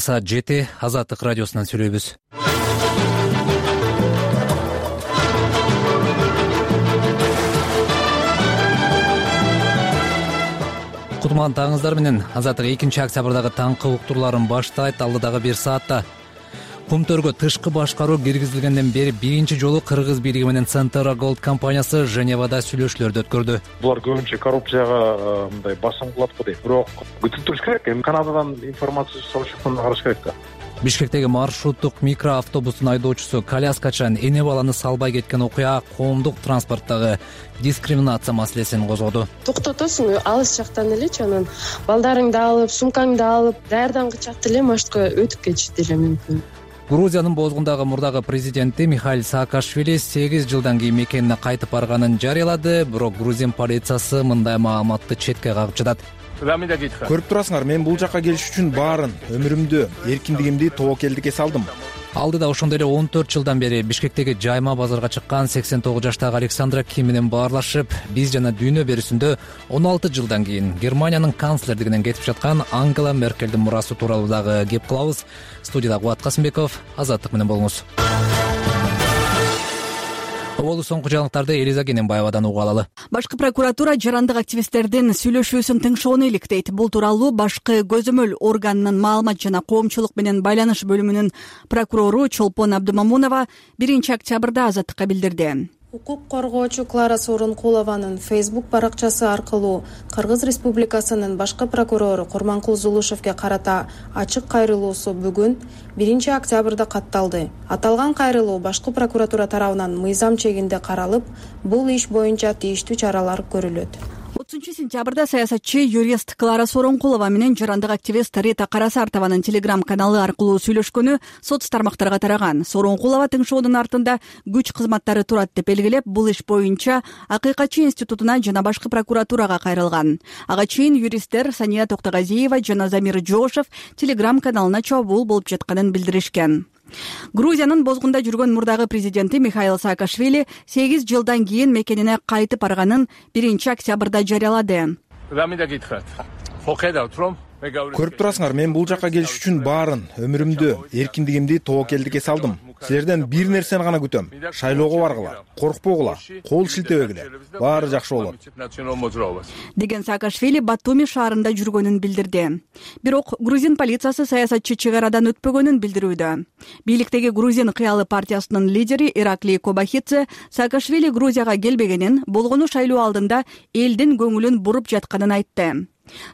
Саат 7 Азаттык радиосунан сүйлөйбүз. Кутман таңыңыздар менен. Азаттык 2-октябрдагы таңкы уктурларын баштайт. Алдыдагы 1 саатта Кумтөргө тышкы башкаруу киргизилгенден бери биринчи жолу Кыргыз бийлиги менен Centera Gold компаниясы Женевада сүйлөшүүлөрдү өткөрдү. Булар көбүнчө коррупцияга мындай басым кылат го дейт. Бирок күтүп туруш керек. Эми Канададан информация сабашкандан караш керек да. Бишкектеги маршруттук микроавтобустун айдоочусу коляскачан эне баланы салбай кеткен окуя коомдук транспорттогу дискриминация маселесин козгоду. Токтотосуң алыс жактан элечи, анан балдарыңды алып, сумкаңды алып, даярдангычак деле машыкка өтүп кетиши деле мүмкүн. Грузиянын бозгундагы мурдагы президенти Михаил Саакашвили 8 жылдан кийин мекенине кайтып барганын жарыялады, бирок Грузин полициясы мындай маалыматты четке кагып жатат. Көрүп турасыңар, мен бул жакка келиш үчүн баарын өмүрүмдү, эркиндигимди тобокелдикке салдым. Алдыда ошондой эле 14 жылдан бери Бишкектеги жайма базарга чыккан 89 жаштагы Александра Ким менен баарлашып, биз жана дүйнө берүүсүндө 16 жылдан кийин Германиянын канцлердигинен кетип жаткан Ангела Меркелдин мурасы тууралуу дагы кеп кылабыз. Студияда Кубат Касымбеков, Азаттык менен болуңуз. Болу соңку жаңылыктарды Элиза Кененбаевадан угуп алалы. Башкы прокуратура жарандык активисттердин сүйлөшүүсүн тыңшоону иликтейт. Бул тууралуу башкы көзөмөл органынын маалымат жана коомчулук менен байланыш бөлүмүнүн прокурору Чолпон Абдымамунова 1-октябрда Азаттыкка билдирди. Укук коргоочу Клара Сооронкулованын Facebook баракчасы аркылуу Кыргыз Республикасынын башкы прокурору Курманкул Зулушевге карата ачык кайрылуусу бүгүн 1-октябрда катталды. Аталган кайрылуу башкы прокуратура тарабынан мыйзам чегинде каралып, бул иш боюнча тийиштүү чаралар көрүлөт. 30-сентябрда саясатчы юрист Клара Сооронкулова менен жарандык активист Рита Карасартованын Telegram каналы аркылуу сүйлөшкөнү соц тармактарга тараган. Сооронкулова тыңшоонун артында күч кызматтары турат деп белгилеп, бул иш боюнча Акыйкатчы институтуна жана башкы прокуратурага кайрылган. Ага чейин юристтер Сания Токтогазиева жана Замир Жошев Telegram каналына чабуул болуп жатканын билдиришкен. Грузиянын бозгунда жүргөн мурдагы президенти Михаил Саакашвили 8 жылдан кийин мекенине кайтып барганын 1-октябрда жарыялады. Көрүп турасыңар, мен бул жакка келиш үчүн баарын өмүрүмдү, эркиндигимди тобокелдикке салдым. Силерден бир нерсени гана күтөм. Шайлоого баргыла, коркпогула, кол шилтебегиле. Баары жакшы болот. Деген Саакашвили Батуми шаарында жүргөнүн билдирди. Бирок грузин полициясы саясатчы чек арадан өтпөгөнүн билдирүүдө. Бийликтеги Грузин кыялы партиясынын лидери Ираклий Кобахидзе Саакашвили Грузияга келбегенин, болгону шайлоо алдында элдин көңүлүн буруп жатканын айтты.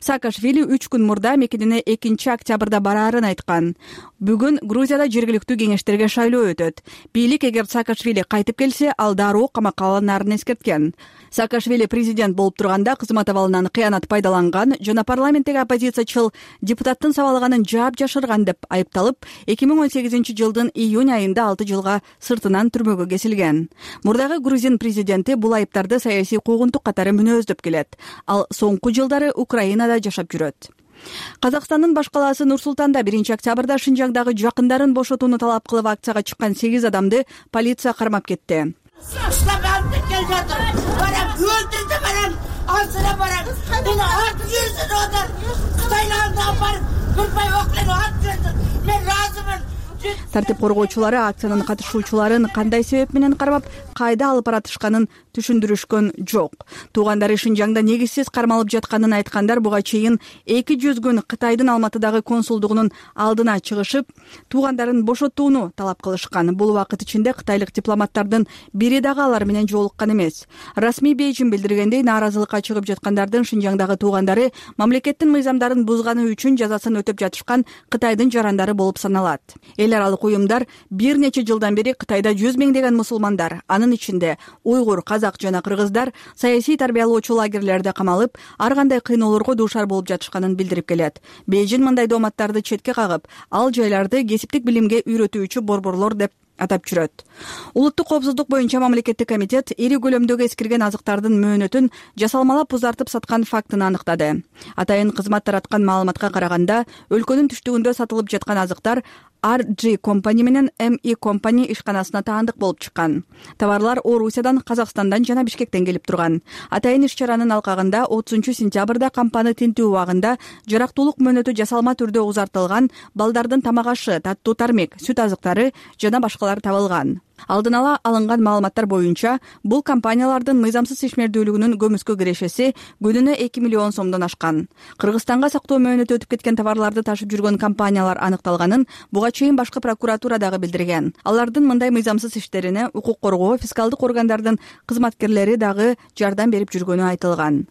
Саакашвили 3 күн мурда мекенине 2-октябрда бараарын айткан. Бүгүн Грузияда жергиликтүү кеңештерге шайлоо өтөт. Бийлик эгер Саакашвили кайтып келсе, ал дароо камакка алынарын эскерткен. Саакашвили президент болуп турганда кызмат абалынан кыянат пайдаланган жана парламенттеги оппозициячыл депутаттын сабалганын жаап жашырган деп айыпталып, 2018 жылдын июнь айында 6 жылга сыртынан түрмөгө кесилген. Мурдагы грузин президенти бул айыптарды саясий куугунтук катары мүнөздөп келет. Ал соңку жылдары Украинада жашап жүрөт. Казакстандын баш калаасы Нур-Султанда 1-октябрда Шинжаңдагы жакындарын бошотууну талап кылып акцияга чыккан 8 адамды полиция кармап кетти. Тартип коргоочулары акциянын катышуучуларын кандай себеп менен кармап, кайда алып баратышканын түшүндүрүшкөн жок. Туугандары Шинжаңда негизсиз кармалып жатканын айткандар буга чейин 200 күн Кытайдын Алматыдагы консулдугунун алдына чыгышып, туугандарын бошотууну талап кылышкан. Бул убакыт ичинде кытайлык дипломаттардын бири дагы алар менен жолуккан эмес. Расмий Бейжин билдиргендей, нааразылыкка чыгып жаткандардын Шинжаңдагы туугандары мамлекеттин мыйзамдарын бузганы үчүн жазасын өтөп жатышкан Кытайдын жарандары болуп саналат. Эл аралык уюмдар бир нече жылдан бери Кытайда 100 миңдеген мусулмандар, анын ичинде уйгур, казак жана кыргыздар саясий тарбиялоочу лагерлерде камалып, ар кандай кыйноолорго дуушар болуп жатышканын билдирип келет. Бейжин мындай дооматтарды четке кагып, ал жайларды кесиптик билимге үйрөтүүчү борборлор деп атап жүрөт. Улуттук коопсуздук боюнча мамлекеттик комитет ири көлөмдөгү эскирген азыктардын мөөнөтүн жасалмалап узартып саткан фактын аныктады. Атайын кызмат тараткан маалыматка караганда, өлкөнүн түштүгүндө сатылып жаткан азыктар RG Company менен ME Company ишканасына таандык болуп чыккан. Товарлар Орусиядан, Казакстандан жана Бишкектен келип турган. Атайын иш-чаранын алкагында 30-сентябрда кампаны тинтүү убагында жарактуулук мөөнөтү жасалма түрдө узартылган балдардын тамак ашы, таттуу тармек, сүт азыктары жана башкалар табылган. Алдын ала алынган маалыматтар боюнча, бул компаниялардын мыйзамсыз ишмердүүлүгүнүн көмүскө кирешеси күнүнө 2 миллион сомдон ашкан. Кыргызстанга сактоо мөөнөтү өтүп кеткен товарларды ташып жүргөн компаниялар аныкталганын буга чейин башкы прокуратура дагы билдирген. Алардын мындай мыйзамсыз иштерине укук коргоо, фискалдык органдардын кызматкерлери дагы жардам берип жүргөнү айтылган.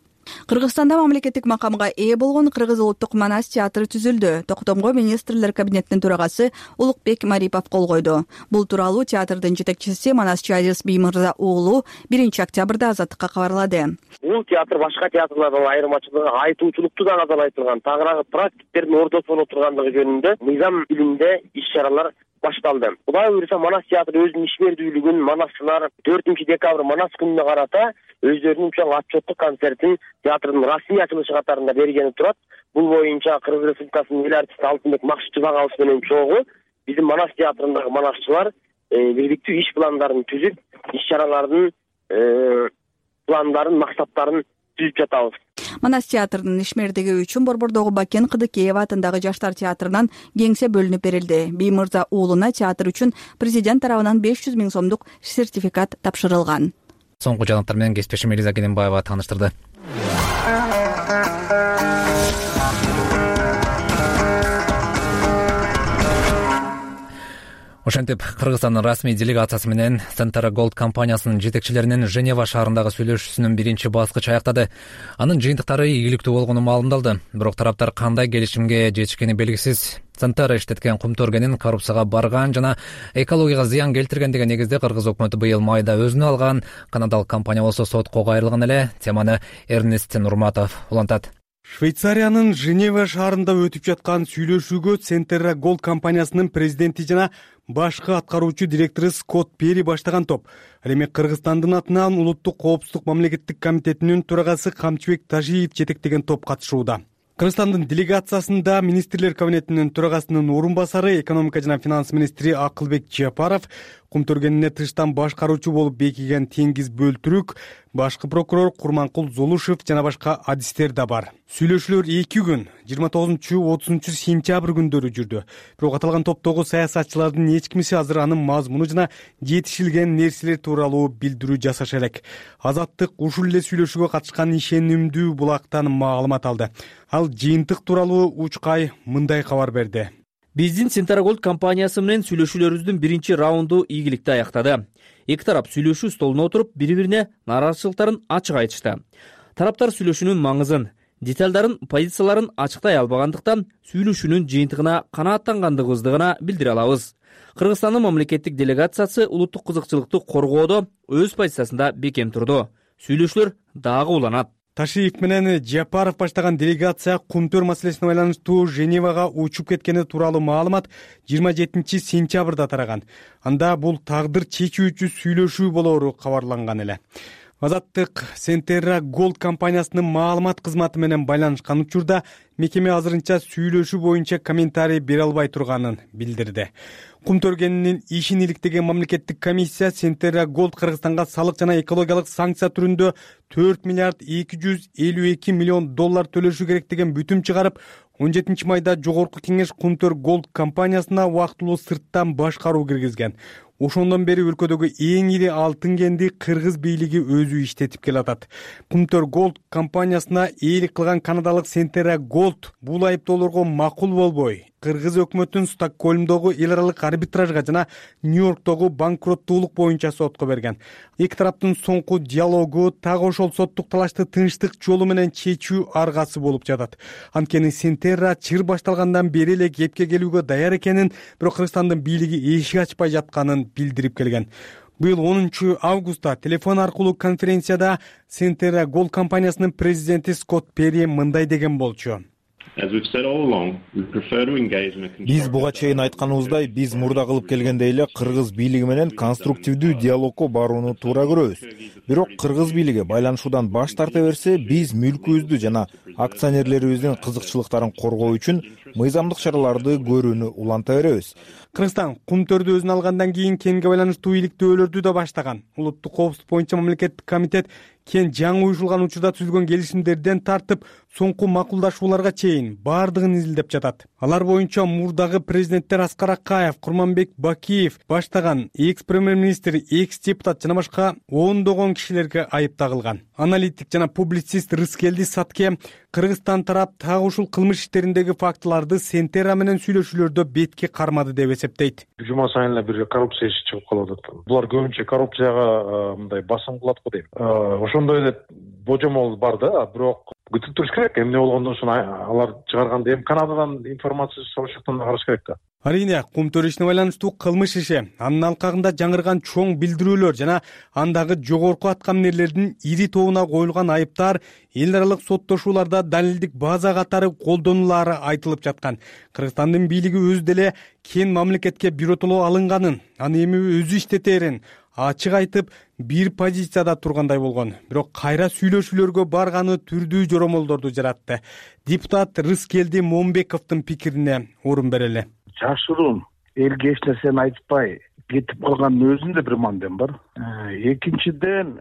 Кыргызстанда мамлекеттик макамга ээ болгон Кыргыз улуттук манас театры түзүлдү. Токтомго министрлер кабинетинин төрагасы Улукбек Марипов кол койду. Бул тууралуу театрдын жетекчиси Манасчы Азиз Биймырза уулу 1 октябрда Азаттыкка кабарлады. Бул театр башка театрлардан айырмачылыгы айтуучулукту да назарда айтылган, тагыраагы практиктердин ортосу болуп тургандыгы жөнүндө мыйзам илиминде иш-чаралар башталды. Кудай буйруса, Манас театры өзүнүн ишмердүүлүгүн манасчылар 4 декабрь Манас күнүнө карата өздөрүнүн чоң отчеттук концертин театрдын расмий ачылышы катарында бергени турат. Бул боюнча Кыргыз Республикасынын эл артисти Алтынбек Максутов агабыз менен чогуу биздин Манас театрындагы манасчылар бирдиктүү иш пландарын түзүп, иш-чаралардын пландарын, максаттарын түзүп жатабыз. Манас театрынын ишмердиги үчүн Борбордогу Бакен Кыдыкеева атындагы Жаштар театрынан кеңсе бөлүнүп берилди. Биймырза уулуна театр үчүн президент тарабынан 500 000 сомдук сертификат тапшырылган. Соңку жаңылыктар менен кесиптешим Элиза Кененбаева тааныштырды. Ошентип, Кыргызстандын расмий делегациясы менен Centera Gold компаниясынын жетекчилеринин Женева шаарындагы сүйлөшүүсүнүн биринчи баскычы аяктады. Анын жыйынтыктары ийгиликтүү болгону маалымдалды. Бирок тараптар кандай келишимге жетишкени белгисиз. Centera иштеткен кумтөргенин коррупцияга барган жана экологияга зыян келтирген деген негизде Кыргыз өкмөтү быйыл майда өзүнө алган. Канадалык компания болсо сотко кайрылган эле. Теманы Эрнест Нурматов улантат. Швейцариянын Женева шаарында өтүп жаткан сүйлөшүүгө Centera Gold компаниясынын президенти жана башкы аткаруучу директору Скотт Перри баштаган топ. Ал эми Кыргызстандын атынан Улуттук коопсуздук мамлекеттик комитетинин төрагасы Камчыбек Тажиев жетектеген топ катышууда. Кыргызстандын делегациясында министрлер кабинетинин төрагасынын орун басары, экономика жана финанс министри Акылбек Жапаров, кумтөргенине тыштан башкаруучу болуп бекиген Теңиз Бөлтүрүк, башкы прокурор Курманкул Золушев жана башка адистер да бар. Сүйлөшүүлөр 2 күн, 29-30 сентябрь күндөрү жүрдү. Бирок аталган топтогу саясатчылардын эч кимиси азыр анын мазмуну жана жетишилген нерселер тууралуу билдирүү жасаша элек. Азаттык ушул эле сүйлөшүүгө катышкан ишенимдүү булактан маалымат алды. Ал жыйынтык тууралуу Учкай мындай кабар берди. Биздин Centera Gold компаниясы менен сүйлөшүүлөрүбүздүн биринчи раунду ийгиликтүү аяктады. Эки тарап сүйлөшүү столуна отуруп, бири-бирине нааразычылыктарын ачык айтышты. Тараптар сүйлөшүүнүн маңызын, деталдарын, позицияларын ачыктай албагандыктан сүйлөшүүнүн жыйынтыгына канааттангандыгыбызды гана билдире алабыз. Кыргызстандын мамлекеттик делегациясы улуттук кызыкчылыкты коргоодо өз позициясында бекем турду. Сүйлөшүүлөр дагы уланат. Ташиев менен Жапаров баштаган делегация кумтөр маселесине байланыштуу Женевага учуп кеткени тууралуу маалымат 27 сентябрда тараган. Анда бул тагдыр чечүүчү сүйлөшүү болоору кабарланган эле. Азаттык Centera Gold компаниясынын маалымат кызматы менен байланышкан учурда мекеме азырынча сүйлөшүү боюнча комментарий бере албай турганын билдирди. Кумтөргенинин ишин иликтеген мамлекеттик комиссия Centera Gold Кыргызстанга салык жана экологиялык санкция түрүндө 4 миллиард 252 миллион доллар төлөшү керек деген бүтүм чыгарып, 17 майда жогорку кеңеш Кумтөр Gold компаниясына убактылуу сырттан башкаруу киргизген. Ошондон бери өлкөдөгү эң ири алтын кенди Кыргыз бийлиги өзү иштетип келатат. Кумтөр Gold компаниясына ээлик кылган канадалык Centera Gold бул айыптоолорго макул болбой, Кыргыз өкмөтүн Стокгольмдогу эл аралык арбитражга жана Нью-Йорктогу банкроттуулук боюнча сотко берген. Эки тараптын соңку диалогу так ошол соттук талашты тынчтык жолу менен чечүү аргасы болуп жатат. Анткени Centera чыр башталгандан бери эле кепке келүүгө даяр экенин, бирок Кыргызстандын бийлиги эшик ачпай жатканын билдирип келген. Быйыл 10 августта телефон аркылуу конференцияда Centera Gold компаниясынын президенти Скотт Перри мындай деген болчу. Биз буга чейин айтканыбыздай, биз мурда кылып келгендей эле кыргыз бийлиги менен конструктивдүү диалогко барууну туура көрөбүз. Бирок кыргыз бийлиги байланышуудан баш тарта берсе, биз мүлкүбүздү жана акционерлерибиздин кызыкчылыктарын коргоо үчүн мыйзамдык чараларды көрүүнү уланта беребиз. Кыргызстан кумтөрдү өзүнө алгандан кийин кенге байланыштуу иликтөөлөрдү да баштаган. Улуттук коопсуздук боюнча мамлекеттик комитет кен жаңы уюшулган учурда түзүлгөн келишимдерден тартып соңку макулдашууларга чейин баардыгын изилдеп жатат. Алар боюнча мурдагы президенттер Аскар Акаев, Курманбек Бакиев баштаган экс-премьер-министр, экс-депутат жана башка ондогон кишилерге айып тагылган. Аналитик жана публицист Рыскелди Сатке Кыргызстан тарап так ушул кылмыш иштериндеги фактыларды Сентера менен сүйлөшүүлөрдө бетке кармады деп эсептейт. Жума сайын эле бир коррупция иши чыгып калып атат. Булар көбүнчө коррупцияга мындай басым кылат го дейм. Ошондой эле божомол бар да, бирок күтүп туруш керек. Эмне болгондон соң алар чыгарганда эми Канададан информация сораш жактан караш керек да. Арийне, кумтөр ишине байланыштуу кылмыш иши, анын алкагында жаңырган чоң билдирүүлөр жана андагы жогорку аткаминерлердин ири тобуна коюлган айыптар эл аралык соттошууларда далилдик база катары колдонулаары айтылып жаткан. Кыргызстандын бийлиги өзү деле кен мамлекетке биротоло алынганын, аны эми өзү иштетерин ачык айтып, бир позицияда тургандай болгон. Бирок кайра сүйлөшүүлөргө барганы түрдүү жоромолдорду жаратты. Депутат Рыскелди Момбековдун пикирине орун берели. Жашыруун, элге эч нерсени айтпай кетип калгандын өзүндө бир мандем бар. Экинчиден,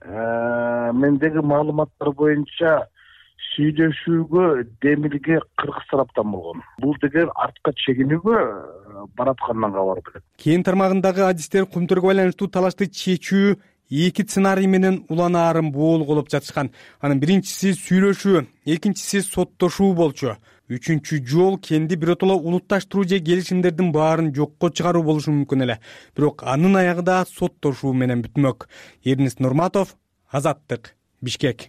мендеги маалыматтар боюнча сүйлөшүүгө демилге кыргыз тараптан болгон. Бул деген артка чегинүүгө бараткандан кабар берет. Кен тармагындагы адистер кумтөргө байланыштуу талашты чечүү эки сценарий менен уланаарын боолголоп жатышкан. Анын биринчиси сүйлөшүү, экинчиси соттошуу болчу. Үчүнчү жол кенди биротоло улутташтыруу же келишимдердин баарын жокко чыгаруу болушу мүмкүн эле. Бирок анын аягы да соттошуу менен бүтмөк. Эрнест Нурматов, Азаттык, Бишкек.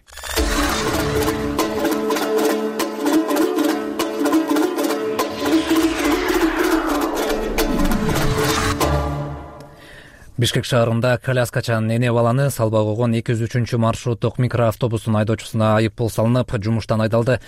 Бишкек шаарында коляскачан эне баланы салбай койгон 203 маршруттук микроавтобустун айдоочусуна айып пул салынып, жумуштан айдалды.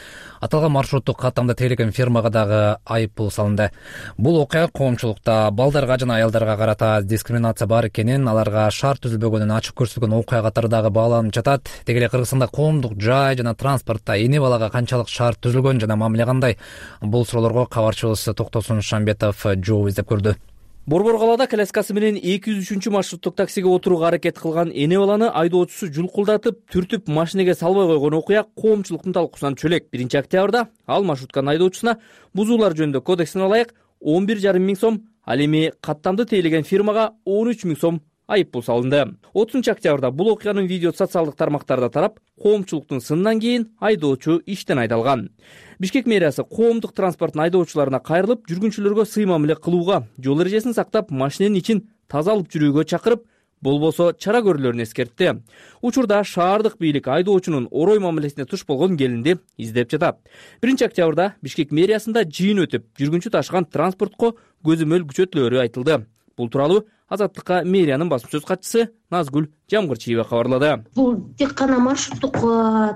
Аталган маршруттук каттамда тейлеген фирмага дагы айып пул салынды. Бул окуя коомчулукта балдарга жана аялдарга карата дискриминация бар экенин, аларга шаар түзүлбөгөнүн ачык көрсөткөн окуя катары дагы бааланып жатат. Деги эле Кыргызстанда коомдук жай жана транспортто эне балага канчалык шаар түзүлгөн жана мамиле кандай? Бул суроолорго кабарчыбыз Токтосун Шамбетов жооп издеп көрдү. Борбор калаада коляскасы менен 203 маршруттук таксиге отурууга аракет кылган эне баланы айдоочусу жулкулдатып, түртүп машинеге салбай койгон окуя коомчулуктун талкуусунан чөлөк. 1-октябрда ал маршрутканын айдоочусуна бузуулар жөнүндө кодексине ылайык 11,5 миң сом, ал эми каттамды тейлеген фирмага 13 миң сом айып пул салынды. 30-октябрда бул окуянын видеосу социалдык тармактарда тарап, коомчулуктун сынынан кийин айдоочу иштен айдалган. Бишкек мэриясы коомдук транспорттун айдоочуларына кайрылып, жүргүнчүлөргө сый мамиле кылууга, жол эрежесин сактап, машиненин ичин таза алып жүрүүгө чакырып, болбосо чара көрүүлөрүн эскертти. Учурда шаардык бийлик айдоочунун орой мамилесине туш болгон келинди издеп жатат. 1-октябрда Бишкек мэриясында жыйын өтүп, жүргүнчү ташыган транспортко көзөмөл күчөтүлөөрү айтылды. Бул тууралуу Азаттыкка мэриянын басма сөз катчысы Назгүл Жамгырчиева кабарлады. Бул тек гана маршруттук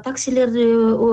таксилерди,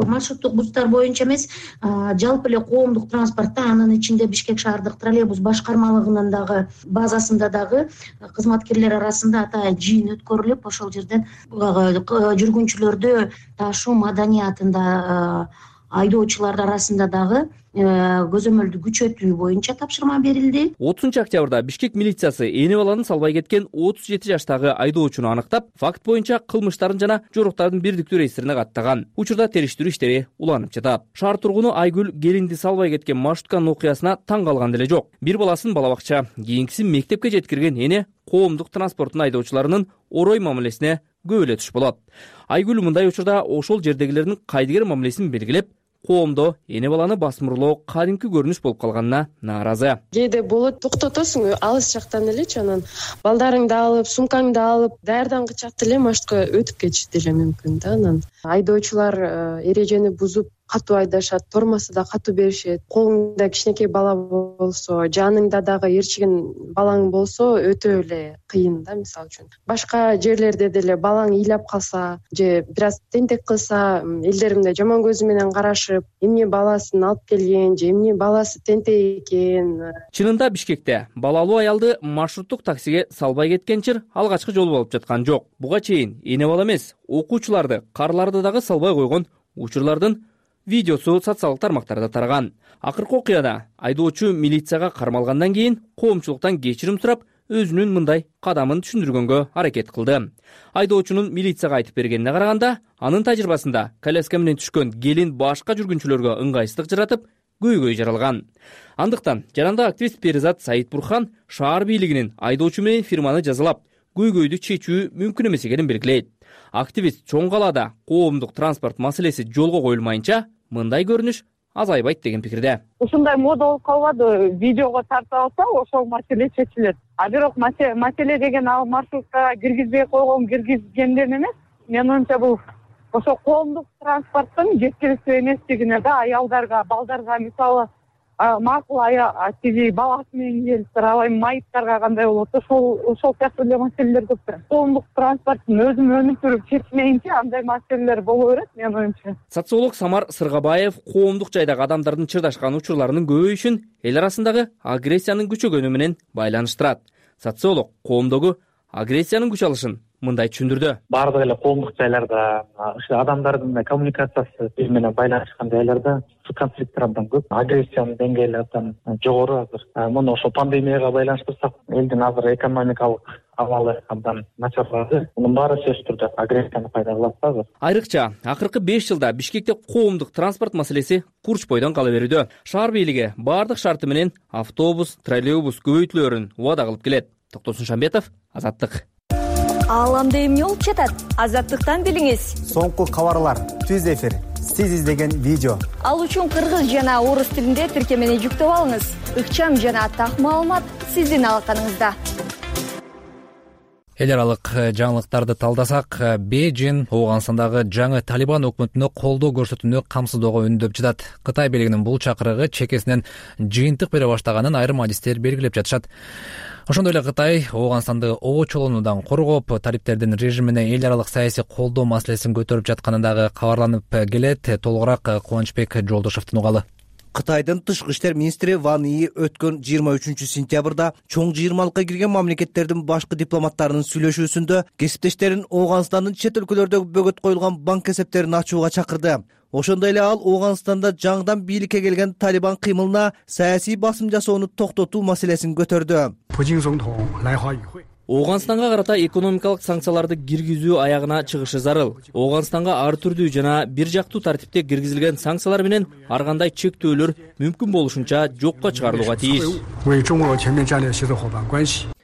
маршруттук бустар боюнча эмес, жалпы эле коомдук транспортто, анын ичинде Бишкек шаардык троллейбус башкармалыгынын дагы базасында дагы кызматкерлер арасында атайын жыйын өткөрүлүп, ошол жерден жүргүнчүлөрдү ташуу маданиятында айдоочулар арасында дагы көзөмөлдү күчөтүү боюнча тапшырма берилди. 30-октябрда Бишкек милициясы эне баланы салбай кеткен 37 жаштагы айдоочуну аныктап, факт боюнча кылмыштарын жана жоруктардын бирдиктүү реестрине каттаган. Учурда териштирүү иштери уланып жатат. Шаар тургуну Айгүл келинди салбай кеткен маршрутканын окуясына таң калган деле жок. Бир баласын бала бакча, кийинкисин мектепке жеткирген эне коомдук транспорттун айдоочуларынын орой мамилесине көп эле туш болот. Айгүл мындай учурда ошол жердегилердин кайдыгер мамилесин белгилеп, коомдо эне баланы басмырлоо кадимки көрүнүш болуп калганына нааразы. Кээде болот, токтотосуң алыс жактан элечи, анан балдарыңды алып, сумкаңды алып, даярдан кычат эле маршрутка өтүп кетиши деле мүмкүн да. Анан айдоочулар эрежени бузуп катуу айдашат, тормаса да катуу беришет. Колуңда кичинекей бала болсо, жаныңда дагы ээрчиген балаң болсо өтө эле кыйын да. Мисалы үчүн башка жерлерде деле балаң ыйлап калса же бир аз тентек кылса, элдер мындай жаман көзү менен карашып, эмне баласын алып келген же эмне баласы тентек экен. Чынында Бишкекте балалуу аялды маршруттук таксиге салбай кеткен чыр алгачкы жолу болуп жаткан жок. Буга чейин эне бала эмес, окуучуларды, карларды дагы салбай койгон учурлардын видеосу социалдык тармактарда тараган. Акыркы окуяда айдоочу милицияга кармалгандан кийин коомчулуктан кечирим сурап, өзүнүн мындай кадамын түшүндүргөнгө аракет кылды. Айдоочунун милицияга айтып бергенине караганда, анын тажрыйбасында коляска менен түшкөн келин башка жүргүнчүлөргө ыңгайсыздык жаратып, көйгөй жаралган. Андыктан жарандык активист Перизат Саитбурхан шаар бийлигинин айдоочу менен фирманы жазалап, көйгөйдү чечүү мүмкүн эмес экенин белгилейт. Активист чоң калаада коомдук транспорт маселеси жолго коюлмайынча мындай көрүнүш азайбайт деген пикирде. Ушундай мода болуп калбады, видеого тартып алса ошол маселе чечилет. А бирок маселе деген ал маршрутка киргизбей койгон, киргизгенден эмес. Менин оюмча бул ошо коомдук транспорттун жеткиликтүү эместигине да, аялдарга, балдарга, мисалы макул тиги баласы менен келиптир, алай майыптарга кандай болот, ошол сыяктуу эле маселелер көп. Коомдук транспорттун өзүн өнүктүрүп чечмейинче андай маселелер боло берет, менин оюмча. Социолог Самар Сыргабаев коомдук жайдагы адамдардын чырдашкан учурларынын көбөйүшүн эл арасындагы агрессиянын күчөгөнү менен байланыштырат. Социолог коомдогу агрессиянын күч алышын мындай түшүндүрдү. Бардык эле коомдук жайларда адамдардын коммуникациясы бири менен байланышкан жайларда конфликттер абдан көп, агрессиянын деңгээли абдан жогору азыр. Муну ошо пандемияга байланыштырсак, элдин азыр экономикалык абалы абдан начарлады. Мунун баары сөзсүз түрдө агрессияны пайда кылат азыр. Айрыкча акыркы 5 жылда Бишкекте коомдук транспорт маселеси курч бойдон кала берүүдө. Шаар бийлиги бардык шарты менен автобус, троллейбус көбөйтүлөрүн убада кылып келет. Токтосун Шамбетов, Азаттык. Ааламда эмне болуп жатат? Азаттыктан билиңиз. Соңку кабарлар, түз эфир, сиз издеген видео. Ал үчүн кыргыз жана орус тилинде тиркемени жүктөп алыңыз. Ыкчам жана так маалымат сиздин алаканыңызда. Эл аралык жаңылыктарды талдасак, Бейжин Ооганстандагы жаңы Талибан өкмөтүнө колдоо көрсөтүүнү камсыздоого үндөп жатат. Кытай бийлигинин бул чакырыгы чекесинен жыйынтык бере баштаганын айрым адистер белгилеп жатышат. Ошондой эле Кытай Ооганстанды обочолонуудан коргоп, талиптердин режимине эл аралык саясий колдоо маселесин көтөрүп жатканы дагы кабарланып келет. Толугураак Кубанычбек Жолдошовдун угалы. Кытайдын тышкы иштер министри Ван И өткөн 23-сентябрда чоң жыйырмалыкка кирген мамлекеттердин башкы дипломаттарынын сүйлөшүүсүндө кесиптештерин Ооганстандын чет өлкөлөрдө бөгөт коюлган банк эсептерин ачууга чакырды. Ошондой эле ал Ооганстанда жаңыдан бийликке келген Талибан кыймылына саясий басым жасоону токтотуу маселесин көтөрдү. Ооганстанга карата экономикалык санкцияларды киргизүү аягына чыгышы зарыл. Ооганстанга ар түрдүү жана бир жактуу тартипте киргизилген санкциялар менен ар кандай чектөөлөр мүмкүн болушунча жокко чыгарылууга тийиш.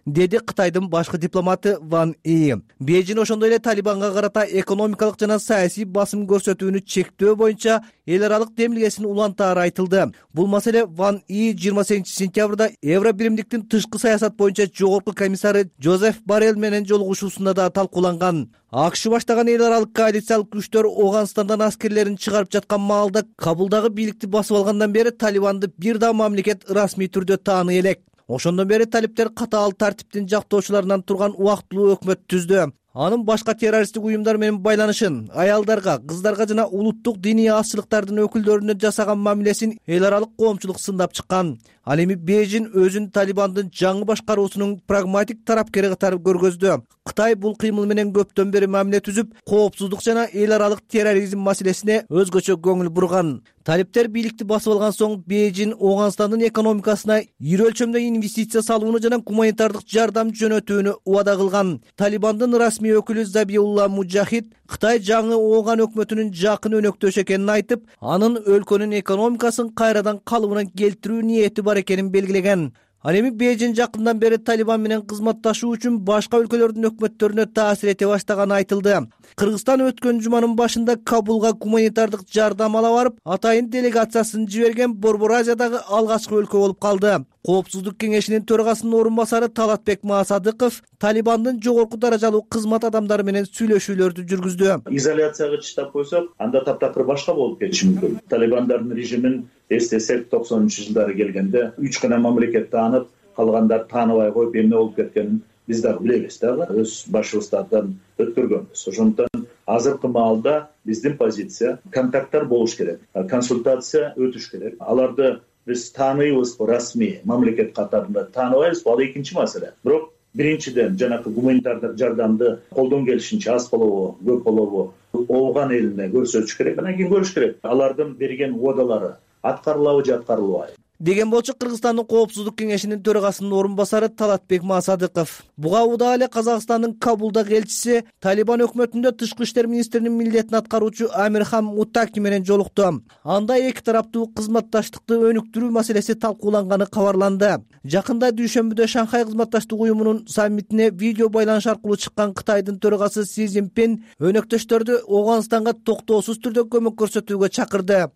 Деди Кытайдын башкы дипломаты Ван И. Бейжин ошондой эле Талибанга карата экономикалык жана саясий басым көрсөтүүнү чектөө боюнча эл аралык демилгесин улантаары айтылды. Бул маселе Ван И 28-сентябрда Евро биримдиктин тышкы саясат боюнча жогорку комиссары Жозеф Боррелл менен жолугушуусунда да талкууланган. АКШ баштаган эл аралык коалициялык күчтөр Ооганстандан аскерлерин чыгарып жаткан маалда Кабулдагы бийликти басып алгандан бери Талибанды бир да мамлекет расмий түрдө тааный элек. Ошондон бери талиптер катаал тартиптин жактоочуларынан турган убактылуу өкмөт түздү. Анын башка террористтик уюмдар менен байланышын, аялдарга, кыздарга жана улуттук диний азчылыктардын өкүлдөрүнө жасаган мамилесин эл аралык коомчулук сындап чыккан. Ал эми Бейжин өзүн Талибандын жаңы башкаруусунун прагматик тарапкери катары көргөздү. Кытай бул кыймыл менен көптөн бери мамиле түзүп, коопсуздук жана эл аралык терроризм маселесине өзгөчө көңүл бурган. Талиптер бийликти басып алган соң Бейжин Ооганстандын экономикасына ири өлчөмдө инвестиция салууну жана гуманитардык жардам жөнөтүүнү убада кылган. Талибандын расмий өкүлү Забиулла Муджахид Кытай жаңы Ооган өкмөтүнүн жакын өнөктөшү экенин айтып, анын өлкөнүн экономикасын кайрадан калыбына келтирүү ниети бар экенин белгилеген. Ал эми Бейжин жакындан бери Талибан менен кызматташуу үчүн башка өлкөлөрдүн өкмөттөрүнө таасир эте баштаганы айтылды. Кыргызстан өткөн жуманын башында Кабулга гуманитардык жардам ала барып, атайын делегациясын жиберген Борбор Азиядагы алгачкы өлкө болуп калды. Коопсуздук кеңешинин төрагасынын орун басары Талатбек Маасадыков Талибандын жогорку даражалуу кызмат адамдары менен сүйлөшүүлөрдү жүргүздү. Изоляцияга чыштап койсок, анда таптакыр башка болуп кетиши мүмкүн. Талибандардын режимин эстесек, 90-жылдары келгенде 3 гана мамлекет таанып, калгандар тааныбай коюп эмне болуп кеткенин биз дагы билебиз дагы, өз башыбыздардан өткөргөнбүз. Ошондуктан азыркы маалда биздин позиция контакттар болуш керек, консультация өтүш керек. Аларды биз тааныйбызбы, расмий мамлекет катарында тааныбайбызбы, ал экинчи маселе. Бирок биринчиден жанакы гуманитардык жардамды колдон келишинче аз болобу, көп болобу ооган элине көрсөтүш керек, анан кийин көрүш керек. Алардын берген уадалары аткарылабы же аткарылбайбы деген болчу Кыргызстандын Коопсуздук кеңешинин төрагасынын орун басары Талатбек Маасадыков. Буга убада эле Казакстандын Кабулдагы элчиси Талибан өкмөтүндө тышкы иштер министринин милдетин аткаруучу Амирхан Муттаки менен жолукту. Анда эки тараптуу кызматташтыкты өнүктүрүү маселеси талкууланганы кабарланды. Жакында дүйшөмбүдө Шанхай кызматташтык уюмунун саммитине видео байланыш аркылуу чыккан Кытайдын төрагасы Си Цзиньпин өнөктөштөрдү Ооганстанга токтоосуз түрдө көмөк көрсөтүүгө чакырды.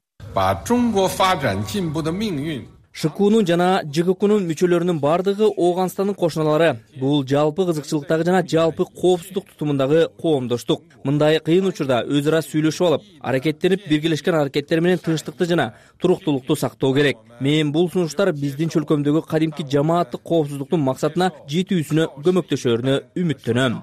ШКУнун жана ЖККнун мүчөлөрүнүн бардыгы Ооганстандын кошуналары. Бул жалпы кызыкчылыктагы жана жалпы коопсуздук тутумундагы коомдоштук. Мындай кыйын учурда өз ара сүйлөшүп алып, аракеттенип биргелешкен аракеттер менен тынчтыкты жана туруктуулукту сактоо керек. Мен бул сунуштар биздин чөлкөмдөгү кадимки жамааттык коопсуздуктун максатына жетүүсүнө көмөктөшөрүнө үмүттөнөм.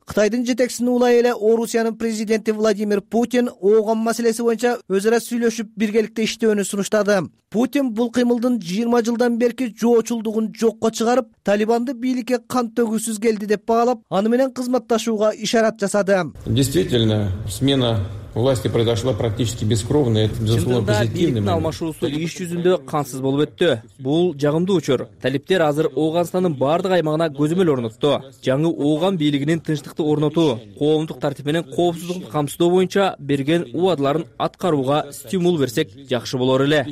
Кытайдын жетекчисинин улай эле Орусиянын президенти Владимир Путин ооган маселеси боюнча өз ара сүйлөшүп биргеликте иштөөнү сунуштады. Путин бул кыймылдын 20 жылдан берки жоочулдугун жокко чыгарып, Талибанды бийликке кан төгүүсүз келди деп баалап, аны менен кызматташууга ишарат жасады. Действительно, смена власти произошла практически бескровно. Это безусловно позитивный момент. Алмашуусу иш жүзүндө кансыз болуп өттү. Бул жагымдуу учур. Талиптер азыр Ооганстандын бардык аймагына көзөмөл орнотту. Жаңы ооган бийлигинин тынчтыкты орнотуу, коомдук тартип менен коопсуздукту камсыздоо боюнча берген убадаларын аткарууга стимул берсек жакшы болор эле.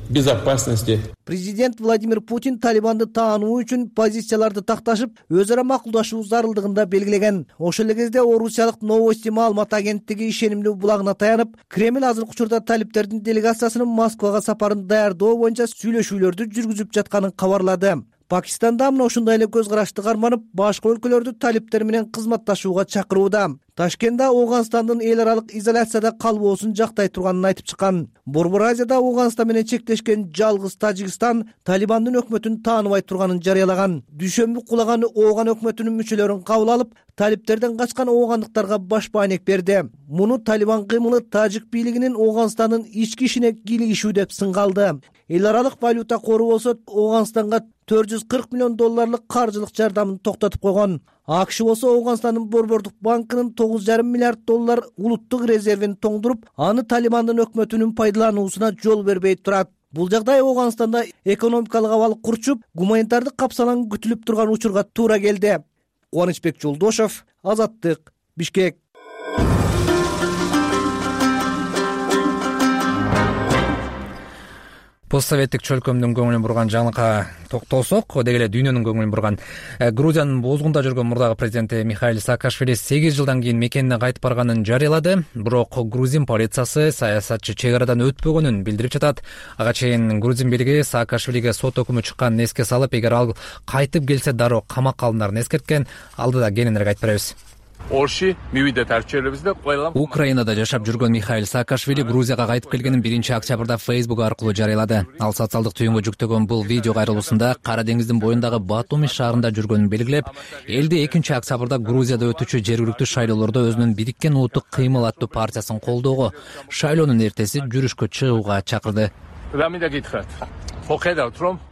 Безопасности. Президент Владимир Путин Талибанды таануу үчүн позицияларды такташып, өз ара макулдашуу зарылдыгында белгилеген. Ошол эле кезде Орусиялык Новости маалымат агенттиги ишенимдүү булагына таянып, Кремль азыркы учурда талиптердин делегациясынын Москвага сапарын даярдоо боюнча сүйлөшүүлөрдү жүргүзүп жатканын кабарлады. Пакистанда мына ушундай эле көз карашты карманып, башка өлкөлөрдү талиптер менен кызматташууга чакырууда. Ташкентте Ооганстандын эл аралык изоляцияда калбоосун жактай турганын айтып чыккан. Борбор Азияда Ооганстан менен чектешкен жалгыз Тажикстан Талибандын өкмөтүн тааныбай турганын жарыялаган. Дүйшөмбү кулаган ооган өкмөтүнүн мүчөлөрүн кабыл алып, талиптерден качкан оогандыктарга баш баанек берди. Муну Талибан кыймылы Тажик бийлигинин Ооганстандын ички ишине кийлигишүү деп сынгалды. Эл аралык валюта кору болсо Ооганстанга $440 миллион каржылык жардамын токтотуп койгон. АКШ болсо Ооганстандын Борбордук банкынын $9,5 миллиард улуттук резервин тоңдуруп, аны Талибандын өкмөтүнүн пайдалануусуна жол бербей турат. Бул жагдай Ооганстанда экономикалык абал курчуп, гуманитардык капсалаң күтүлүп турган учурга туура келди. Кубанычбек Жолдошов, Азаттык, Бишкек. Постсоветтик чөлкөмдүн көңүлүн бурган жаңылыкка токтолсок, деги эле дүйнөнүн көңүлүн бурган Грузиянын бозгунда жүргөн мурдагы президенти Михаил Саакашвили 8 жылдан кийин мекенине кайтып барганын жарыялады. Бирок грузин полициясы саясатчы чек арадан өтпөгөнүн билдирип жатат. Ага чейин грузин бийлиги Саакашвилиге сот өкүмү чыкканын эске салып, эгер ал кайтып келсе дароо камакка алынарын эскерткен. Алдыда кененирээк айтып беребиз. Украинада жашап жүргөн Михаил Саакашвили Грузияга кайтып келгенин 1-октябрда Facebook аркылуу жарыялады. Ал социалдык түйүнгө жүктөгөн бул видео кайрылуусунда Кара деңиздин боюндагы Батуми шаарында жүргөнүн белгилеп, элди 2-октябрда Грузияда өтүүчү жергиликтүү шайлоолордо өзүнүн Бириккен улуттук кыймыл аттуу партиясын колдоого, шайлоонун эртеси жүрүшкө чыгууга чакырды.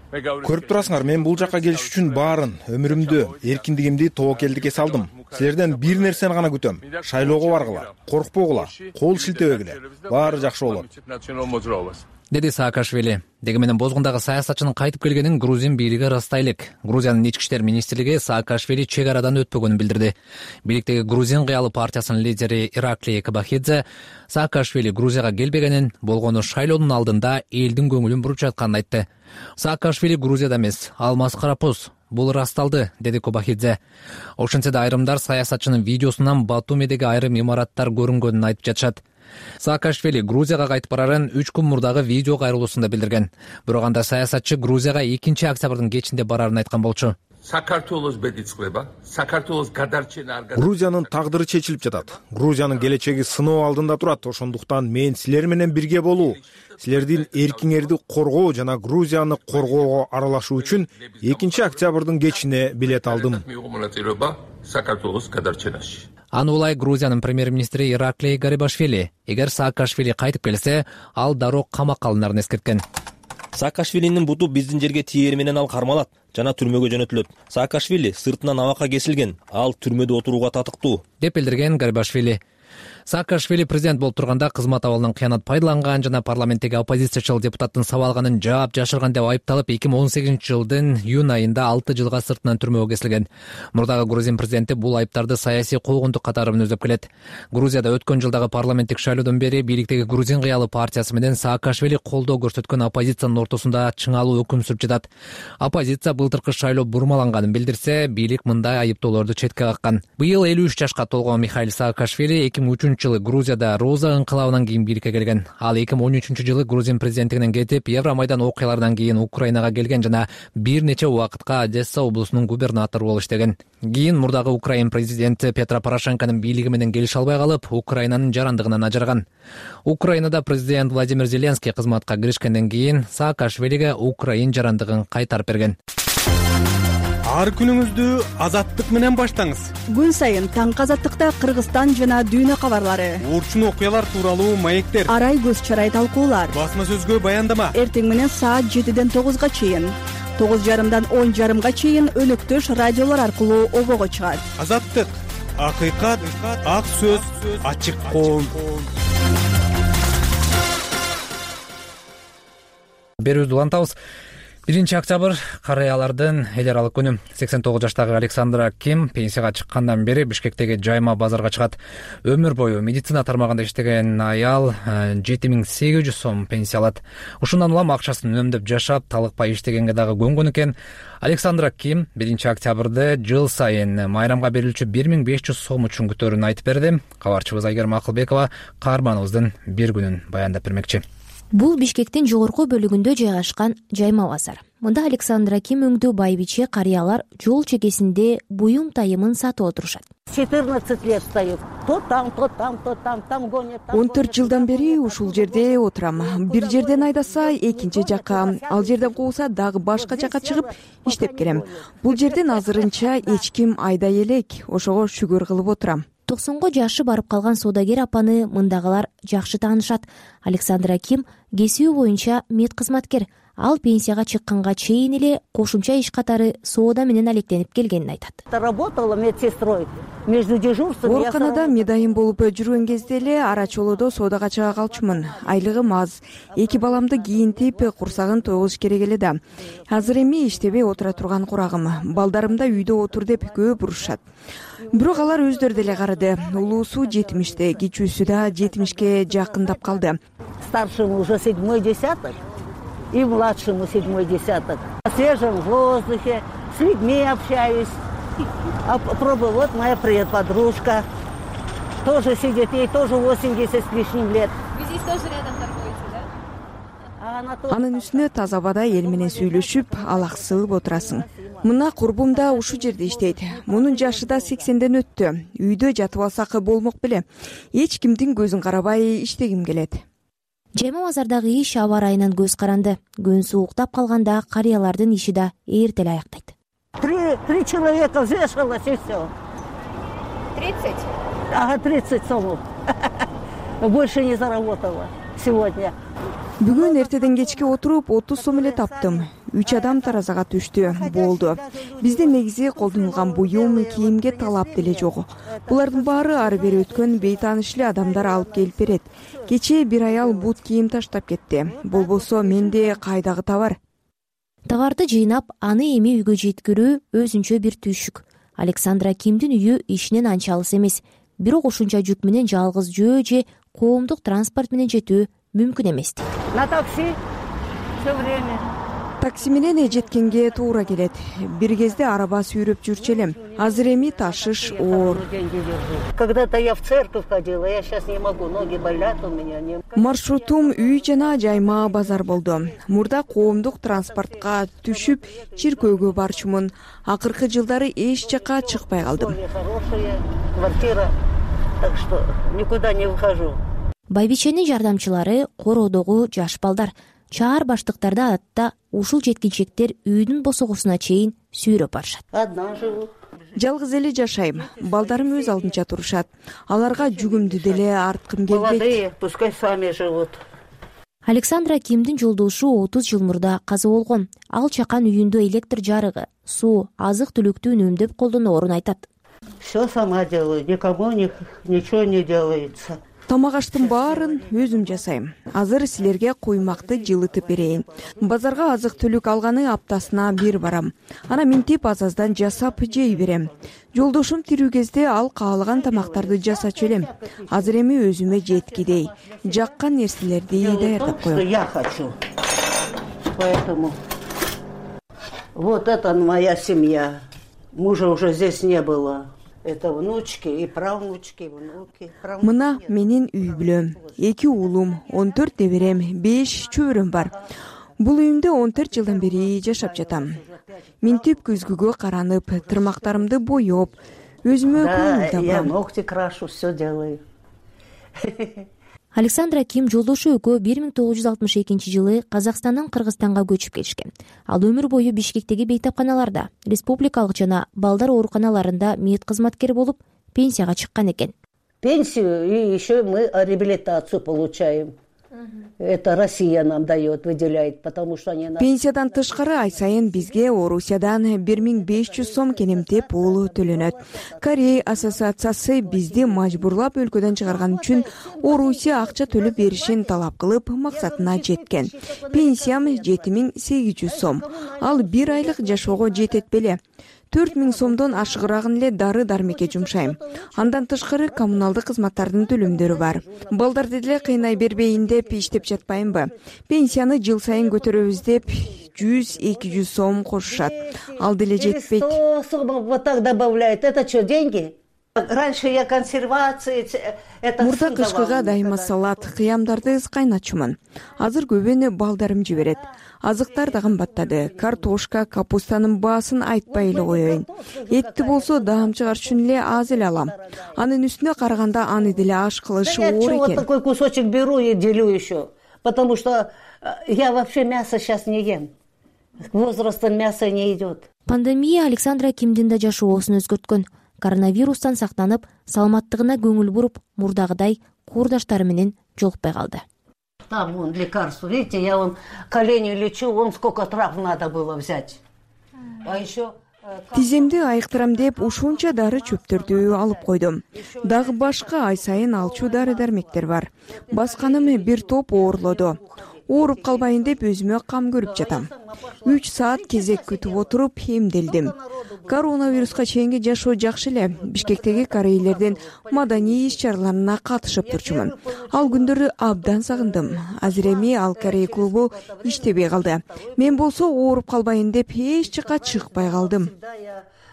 Көрүп турасыңар, мен бул жакка келиш үчүн баарын, өмүрүмдү, эркиндигимди, тобокелдикке салдым. Силерден бир нерсени гана күтөм. Шайлоого баргыла, коркпогула, кол шилтебегиле. Баары жакшы болот. деди Саакашвили. Деги менен бозгундагы саясатчынын кайтып келгенин Грузин бийлиги ырастай элек. Грузиянын ички иштер министрлиги Саакашвили чек арадан өтпөгөнүн билдирди. Бийликтеги Грузин кыялы партиясынын лидери Ираклий Кабахидзе Саакашвили Грузияга келбегенин, болгону шайлоонун алдында элдин көңүлүн буруп жатканын айтты. Саакашвили Грузияда эмес, ал маскарапуз. Бул ырасталды, деди Кабахидзе. Ошентсе да айрымдар саясатчынын видеосунан Батумидеги айрым имараттар көрүнгөнүн айтып жатышат. Саакашвили Грузияга кайтып барарын 3 күн мурдагы видео кайрылуусунда билдирген. Бирок анда саясатчы Грузияга 2 октябрдын кечинде барарын айткан болчу. Грузиянын тагдыры чечилип жатат. Грузиянын келечеги сыноо алдында турат. Ошондуктан мен силер менен бирге болуу, силердин эркиңерди коргоо жана Грузияны коргоого аралашуу үчүн 2 октябрдын кечине билет алдым. Аны улай Грузиянын премьер-министри Ираклий Гарибашвили. Эгер Саакашвили кайтып келсе, ал дароо камакка алынарын эскерткен. Саакашвилинин буту биздин жерге тиери менен ал кармалат жана түрмөгө жөнөтүлөт. Саакашвили сыртынан абакка кесилген, ал түрмөдө отурууга татыктуу, деп билдирген Гарибашвили. Саакашвили президент болуп турганда кызмат абалынан кыянат пайдаланган жана парламенттеги оппозициячыл депутаттын сабалганын жаап жашырган деп айыпталып 2018-жылдын июнь айында 6 жылга сыртынан түрмөгө кесилген. Мурдагы Грузин президенти бул айыптарды саясий куугунтук катары мүнөздөп келет. Грузияда өткөн жылдагы парламенттик шайлоодон бери бийликтеги Грузин кыялы партиясы менен Саакашвили колдоо көрсөткөн оппозициянын ортосунда чыңалуу өкүм сүрүп жатат. Оппозиция былтыркы шайлоо бурмаланганын билдирсе, бийлик мындай айыптоолорду четке каккан. Быйыл 53 жашка толгон Михаил Саакашвили 2003-жылы Грузияда Роза ыңкылабынан кийин бийликке келген. Ал 2013-жылы Грузин президенттигинен кетип, Евромайдан окуяларынан кийин Украинага келген жана бир нече убакытка Одесса облусунун губернатору болуп иштеген. Кийин мурдагы Украин президенти Петро Порошенконун бийлиги менен келише албай калып, Украинанын жарандыгынан ажыраган. Украинада президент Владимир Зеленский кызматка киришкенден кийин Саакашвилиге Украин жарандыгын кайтарып берген. Ар күнүңүздү азаттык менен баштаңыз. Күн сайын таңкы азаттыкта Кыргызстан жана дүйнө кабарлары, урчун окуялар тууралуу маектер, арай көз чарай талкуулар, басма сөзгө баяндама. Эртең менен саат 7ден 9га чейин, 9:30дан 10:30га чейин өнөктөш радиолор аркылуу обого чыгат. Азаттык, акыйкат, ак сөз, ачык коом. Берүүбүздү улантабыз. 1 октябрь карыялардын эл аралык күнү. 89 жаштагы Александра Ким пенсияга чыккандан бери Бишкектеги жайма базарга чыгат. Өмүр бою медицина тармагында иштеген аял 7800 сом пенсия алат. Ушундан улам акчасын үнөмдөп жашап, талыкпай иштегенге дагы көнгөн экен. Александра Ким 1 октябрда жыл сайын майрамга берилчү 1500 сом үчүн күтөөрүн айтып берди. Кабарчыбыз Айгерим Акылбекова каарманыбыздын бир күнүн баяндап бермекчи. Бул Бишкектин жогорку бөлүгүндө жайгашкан жайма базар. Мында Александра Ким өңдүү байбиче карыялар жол чекесинде буюм тайымын сатып отурушат. 14 лет стою. То там, гонят. 14 жылдан бери ушул жерде отурам. Бир жерден айдаса, экинчи жакка, ал жерден кууса дагы башка жакка чыгып иштеп келем. Бул жерден азырынча эч ким айдай элек, ошого шүгүр кылып отурам. 90 жашы барып калган соодагер апаны мындагылар жакшы таанышат. Александра Ким кесиби боюнча мед кызматкер. Ал пенсияга чыкканга чейин эле кошумча иш катары соода менен алектенип келгенин айтат. Работала медсестрой. Между дежурством ооруканада медайым болуп жүргөн кезде эле арачолодо соодага чыга калчумун. Айлыгым аз. 2 баламды кийинтип, курсагын тойгузуш керек эле да. Азыр эми иштебей отура турган курагым. Балдарым да үйдө отур деп көп урушат. Бирок алар өздөрү деле карады. Улуусу 70те, кичүүсү да 70ке жакындап калды. Старшему уже 7-й десяток. И младшему 7-й десяток. На свежем воздухе, с людьми общаюсь. Пробую, вот моя подружка. Тоже сидит, ей тоже 80 с лишним лет. Вы здесь тоже рядом торгуете, да? Анын үстүнө таза абада эл менен сүйлөшүп, алаксылып отурасың. Мына курбум да ушул жерде иштейт. Мунун жашы да 80ден өттү. Үйдө жатып алсак болмок беле. Эч кимдин көзүн карабай иштегим келет. Жайма базардагы иш аба ырайынан көз каранды. Күн сууктап калганда карыялардын иши да эртеле аяктайт. 3 человека взвешивалось и все. 30? Ага, 30 сомов. Больше не заработала сегодня. Бүгүн эртеден кечке отуруп 30 сом эле таптым. 3 адам таразага түштү. Болду. Бизде негизи колдонулган буюм, кийимге талап деле жок. Булардын баары ары бери өткөн бейтааныш эле адамдар алып келип берет. Кечээ бир аял бут кийим таштап кетти. Болбосо менде кайдагы товар? Товарды жыйнап, аны эми үйгө жеткирүү өзүнчө бир түйшүк. Александра Кимдин үйү ишинен анча алыс эмес. Бирок ушунча жүк менен жалгыз жөө же коомдук транспорт менен жетүү мүмкүн эмес. На такси все время. Такси менен жеткенге туура келет. Бир кезде араба сүйрөп жүрчү элем. Азыр эми ташыш оор. Когда-то я в церковь ходила, я сейчас не могу, ноги болят у меня. Маршрутум үй жана жайма базар болду. Мурда коомдук транспортко түшүп, чиркөөгө барчумун. Акыркы жылдары эч жака чыкпай калдым. Хорошая квартира, так что никуда не выхожу. Байбиченин жардамчылары короодогу жаш балдар. Чаар баштыктарды адатта ушул жеткинчектер үйдүн босогусуна чейин сүйрөп барышат. Одна живу. Жалгыз эле жашайм. Балдарым өз алдынча турушат. Аларга жүгүмдү деле арткым келбейт. Молодые, пускай сами живут. Александра Кимдин жолдошу 30 жыл мурда каза болгон. Ал чакан үйүндө электр жарыгы, суу, азык-түлүктү үнөмдөп колдоноорун айтат. Все сама делаю, никому ничего не делается. Тамак аштын баарын өзүм жасайм. Азыр силерге куймакты жылытып берейин. Базарга азык-түлүк алганы аптасына бир барам. Ана минтип аз-аздан жасап жей берем. Жолдошум тирүү кезде ал каалаган тамактарды жасачу элем. Азыр эми өзүмө жеткидей жаккан нерселерди даярдап коем. Я хочу. Поэтому вот это моя семья. Мужа уже здесь не было. Это внучки и правнучки, внуки. Мына менин үй бүлөм. 2 уулум, 14 неберем, 5 чөбөрөм бар. Бул үйүмдө 14 жылдан бери жашап жатам. Минтип көзгүгө каранып, тырмактарымды боёп, өзүмө көңүл табам. Я ногти крашу, все делаю. Александра Ким жолдошу экөө 1962 жылы Казакстандан Кыргызстанга көчүп келишкен. Ал өмүр бою Бишкектеги бейтапканаларда, республикалык жана балдар ооруканаларында мед кызматкер болуп, пенсияга чыккан экен. Пенсию и еще мы реабилитацию получаем. Это Россия нам дает, выделяет, потому что они... Пенсиядан тышкары ай сайын бизге Орусиядан 1500 сом кенемтеп пул төлөнөт. Корей ассоциациясы бизди мажбурлап өлкөдөн чыгарган үчүн Орусия акча төлөп беришин талап кылып, максатына жеткен. Пенсиям 7800 сом. Ал бир айлык жашоого жетет беле. 4000 сомдон ашыгыраагын эле дары-дармекке жумшайм. Андан тышкары коммуналдык кызматтардын төлөмдөрү бар. Балдарды деле кыйнай бербейин деп иштеп жатпаймбы? Пенсияны жыл сайын көтөрөбүз деп 100-200 сом кошушат. Ал деле жетпейт. 100 сом вот так добавляют. Это что, деньги? Раньше я консервации... Мурда кышкыга дайыма салат, кыямдарды кайнатчумун. Азыр көбүнө балдарым жиберет. Азыктар да кымбаттады. Картошка, капустанын баасын айтпай эле коеюн. Этти болсо даам чыгарыш үчүн эле аз эле алам. Анын үстүнө караганда аны деле аш кылышы оор экен. Вот такой кусочек беру и делю еще. Потому что я вообще мясо сейчас не ем. Возрастом мясо не идет. Пандемия Александра Кимдин да жашоосун өзгөрткөн. Коронавирустан сактанып, саламаттыгына көңүл буруп, мурдагыдай курдаштары менен жолукпай калды. Там вон лекарство, видите, я вон колени лечу, вон сколько трав надо было взять. А еще... Тиземди айыктырам деп ушунча дары чөптөрдү алып койдум. Дагы башка ай сайын алчу дары-дармектер бар. Басканым бир топ оорлоду. Ооруп калбайын деп өзүмө кам көрүп жатам. 3 саат кезек күтүп отуруп эмделдим. Коронавируска чейинки жашоо жакшы эле. Бишкектеги корейлердин маданий иш-чараларына катышып турчумун. Ал күндөрү абдан сагындым. Азыр эми ал Корей клубу иштебей калды. Мен болсо ооруп калбайын деп эч жака чыкпай калдым.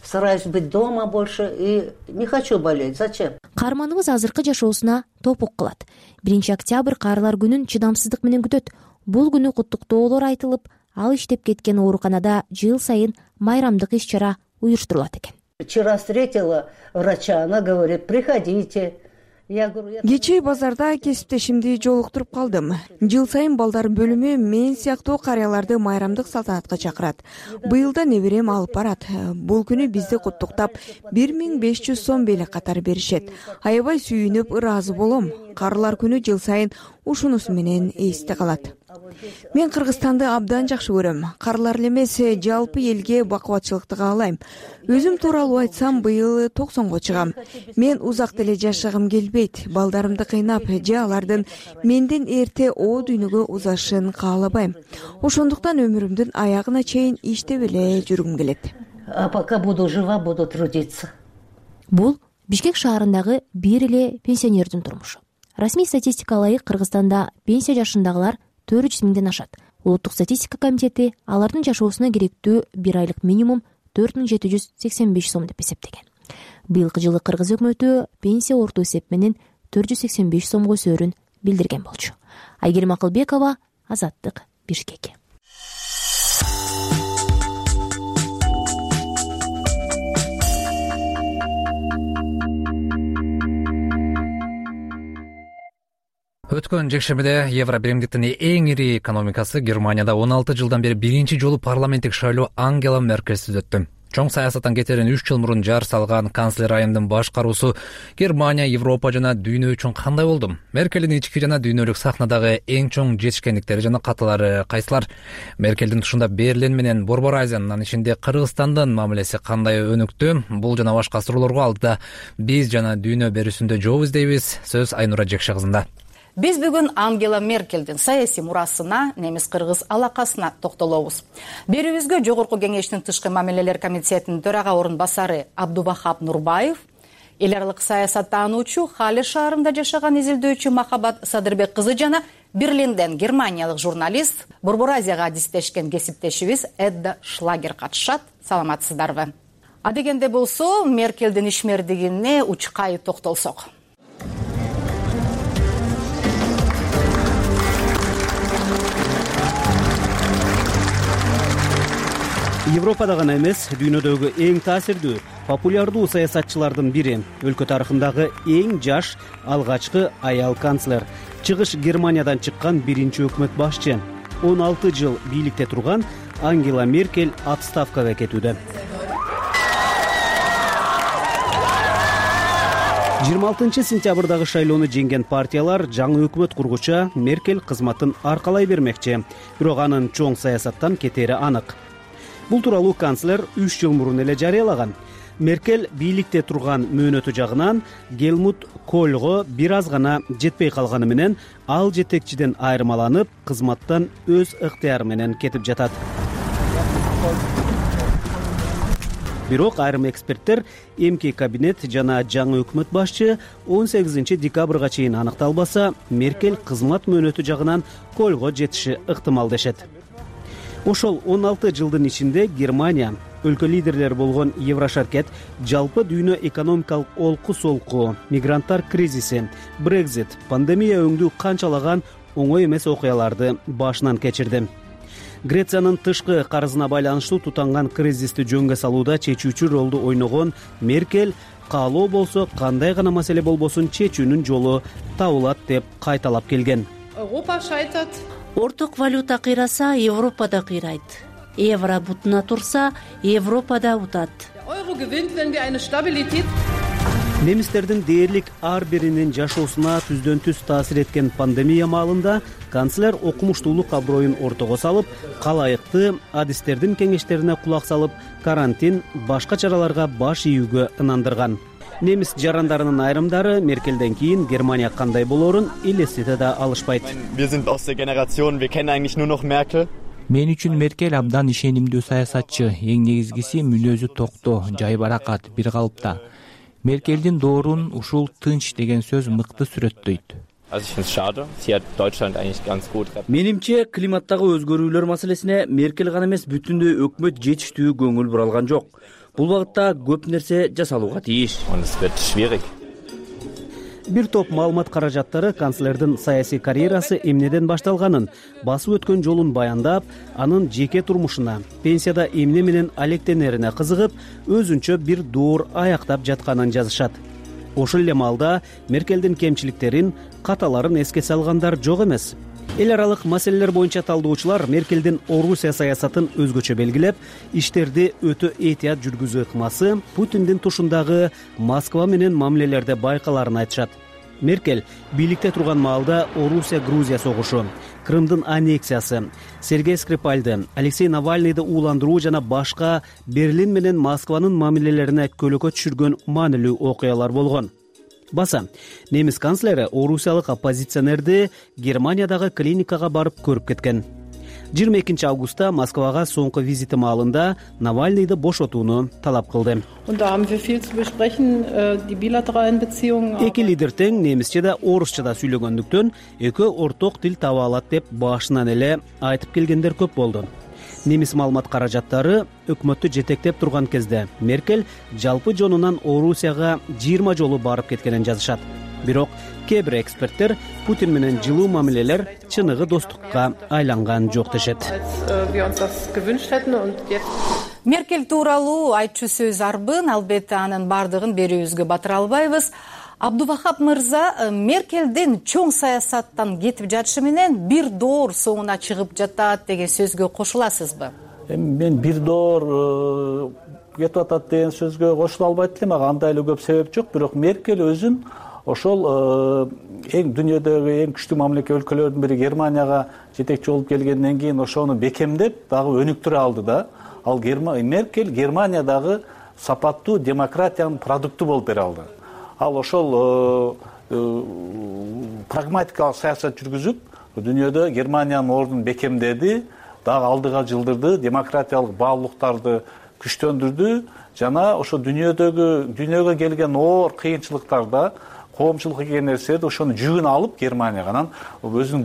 Стараюсь быть дома больше и не хочу болеть. Зачем? Каарманыбыз азыркы жашоосуна топук кылат. 1 октябрь каарылар күнүн чыдамсыздык менен күтөт. Бул күнү куттуктоолор айтылып, ал иштеп кеткен ооруканада жыл сайын майрамдык иш-чара уюштурулат экен. Вчера встретила врача, она говорит: приходите. Кечээ базарда кесиптешимди жолуктуруп калдым. Жыл сайын балдар бөлүмү мен сыяктуу карыяларды майрамдык салтанатка чакырат. Быйыл да неберем алып барат. Бул күнү бизди куттуктап 1500 сом белек катары беришет. Аябай сүйүнүп ыраазы болом. Карылар күнү жыл сайын ушунусу менен эсте калат. Мен Кыргызстанды абдан жакшы көрөм. Карлар эле эмес, жалпы элге бакубатчылыкты каалайм. Өзүм тууралуу айтсам, быйыл 90го чыгам. Мен узак деле жашагым келбейт. Балдарымды кыйнап же алардын менден эрте о дүйнөгө узашын каалабайм. Ошондуктан өмүрүмдүн аягына чейин иштеп эле жүргүм келет. А пока буду жива, буду трудиться. Бул Бишкек шаарындагы бир эле пенсионердин турмушу. Расмий статистикага ылайык Кыргызстанда пенсия жашындагылар 400 миңден ашат. Улуттук статистика комитети алардын жашоосуна керектүү бир айлык минимум 4785 сом деп эсептеген. Быйылкы жылы Кыргыз өкмөтү пенсия орто эсеп менен 485 сомго өсөөрүн билдирген болчу. Айгерим Акылбекова, Азаттык, Бишкек. Өткөн жекшембиде Евро биримдиктин эң ири экономикасы Германияда 16 жылдан бери биринчи жолу парламенттик шайлоо Ангела Меркельсиз өттү. Чоң саясаттан кетерин 3 жыл мурун жар салган канцлер айымдын башкаруусу Германия, Европа жана дүйнө үчүн кандай болду? Меркелдин ички жана дүйнөлүк сахнадагы эң чоң жетишкендиктери жана катылары кайсылар? Меркелдин тушунда Берлин менен Борбор Азиянын, анын ичинде Кыргызстандын мамилеси кандай өнүктү? Бул жана башка суроолорго алдыда биз жана дүйнө берүүсүндө жооп издейбиз. Сөз Айнура Жекше кызында. Биз бүгүн Ангела Меркелдин саясий мурасына, немис-кыргыз алакасына токтолобуз. Берүүбүзгө Жогорку Кеңештин тышкы мамилелер комитетинин төрага орун басары Абдубахап Нурбаев, эл аралык саясаттануучу, Хале шаарында жашаган изилдөөчү Махабат Садырбек кызы жана Берлинден германиялык журналист, Борбор Азияга адистешкен кесиптешибиз Эдда Шлагер катышат. Саламатсыздарбы? Адегенде болсо, Меркелдин ишмердигине учкай токтолсок. Европада гана эмес, дүйнөдөгү эң таасирдүү, популярдуу саясатчылардын бири, өлкө тарыхындагы эң жаш алгачкы аял канцлер, чыгыш Германиядан чыккан биринчи өкмөт башчы, 16 жыл бийликте турган Ангела Меркель отставкага кетүүдө. 26 сентябрдагы шайлоону жеңген партиялар жаңы өкмөт кургуча Меркель кызматын аркалай бермекчи, бирок анын чоң саясаттан кетери анык. Бул тууралуу канцлер 3 жыл мурун эле жарыялаган. Меркель бийликте турган мөөнөтү жагынан Гельмут Кольго бир аз гана жетпей калганы менен ал жетекчиден айырмаланып, кызматтан өз ыктыяры менен кетип жатат. Бирок айрым эксперттер эмки кабинет жана жаңы өкмөт башчы 18 декабрга чейин аныкталбаса, Меркель кызмат мөөнөтү жагынан Кольго жетиши ыктымал дешет. Ошол 16 жылдын ичинде Германия, өлкө лидерлери болгон Еврошаркет, жалпы дүйнө экономикалык олку-солку, мигранттар кризиси, Брекзит, пандемия өңдүү канчалаган оңой эмес окуяларды башынан кечирди. Грециянын тышкы карызына байланыштуу тутанган кризисти жөнгө салууда чечүүчү ролду ойногон Меркель каалоо болсо кандай гана маселе болбосун чечүүнүн жолу табылат деп кайталап келген. Орток валюта кыйраса, Европа да кыйрайт. Евро бутуна турса, Европа да утат. Немистердин дээрлик ар биринин жашоосуна түздөн түз таасир эткен пандемия маалында канцлер окумуштуулук аброюн ортого салып, калайыкты адистердин кеңештерине кулак салып, карантин, башка чараларга баш ийүүгө ынандырган. Немис жарандарынын айрымдары Меркелден кийин Германия кандай болоорун элестете да алышпайт. Мен үчүн Меркель абдан ишенимдүү саясатчы, эң негизгиси мүнөзү токтоо, жайбаракат, бир калыпта. Меркелдин доорун ушул тынч деген сөз мыкты сүрөттөйт. Менимче, климаттагы өзгөрүүлөр маселесине Меркель гана эмес, бүтүндөй өкмөт жетиштүү көңүл буралган жок. Бул багытта көп нерсе жасалууга тийиш. Бир топ маалымат каражаттары канцлердин саясий карьерасы эмнеден башталганын, басып өткөн жолун баяндап, анын жеке турмушуна, пенсияда эмне менен алектенерине кызыгып, өзүнчө бир доор аяктап жатканын жазышат. Ошол эле маалда Меркелдин кемчиликтерин, каталарын эске салгандар жок эмес. Эл аралык маселелер боюнча талдоочулар Меркелдин Орусия саясатын өзгөчө белгилеп, иштерди өтө этият жүргүзүү ыкмасы Путиндин тушундагы Москва менен мамилелерде байкаларын айтышат. Меркель бийликте турган маалда Орусия-Грузия согушу, Крымдын аннексиясы, Сергей Скрипальды, Алексей Навальныйды ууландыруу жана башка Берлин менен Москванын мамилелерине көлөкө түшүргөн маанилүү окуялар болгон. Баса, немис канцлери орусиялык оппозиционерди Германиядагы клиникага барып көрүп кеткен. 22 августта Москвага соңку визити маалында Навальныйды бошотууну талап кылды. Эки лидер тең немисче да орусча да сүйлөгөндүктөн экөө орток тил таба алат деп башынан эле айтып келгендер көп болду. Немис маалымат каражаттары өкмөттү жетектеп турган кезде Меркель жалпы жонунан Орусияга 20 жолу барып кеткенин жазышат. Бирок кээ бир эксперттер Путин менен жылуу мамилелер чыныгы достукка айланган жок дешет. Меркель тууралуу айтчу сөз арбын, албетте анын бардыгын берүүбүзгө батыра албайбыз. Абдувахап мырза, Меркелдин чоң саясаттан кетип жатышы менен бир доор соңуна чыгып жатат деген сөзгө кошуласызбы? Мен бир доор кетип атат деген сөзгө кошула албайт элем. Ага андай эле көп себеп жок, бирок Меркель өзүн ошол эң дүйнөдөгү эң күчтүү мамлекет өлкөлөрдүн бири Германияга жетекчи болуп келгенден кийин ошону бекемдеп дагы өнүктүрө алды да. Ал Меркель Германиядагы сапаттуу демократиянын продукту болуп бере алды. Ал ошол прагматикалык саясат жүргүзүп, дүйнөдө Германиянын ордун бекемдеди, дагы алдыга жылдырды, демократиялык баалуулуктарды күчтөндүрдү жана ошо дүйнөгө келген оор кыйынчылыктарда коомчулук деген нерселерди ошону жүгүн алып Германияга анан өзүнүн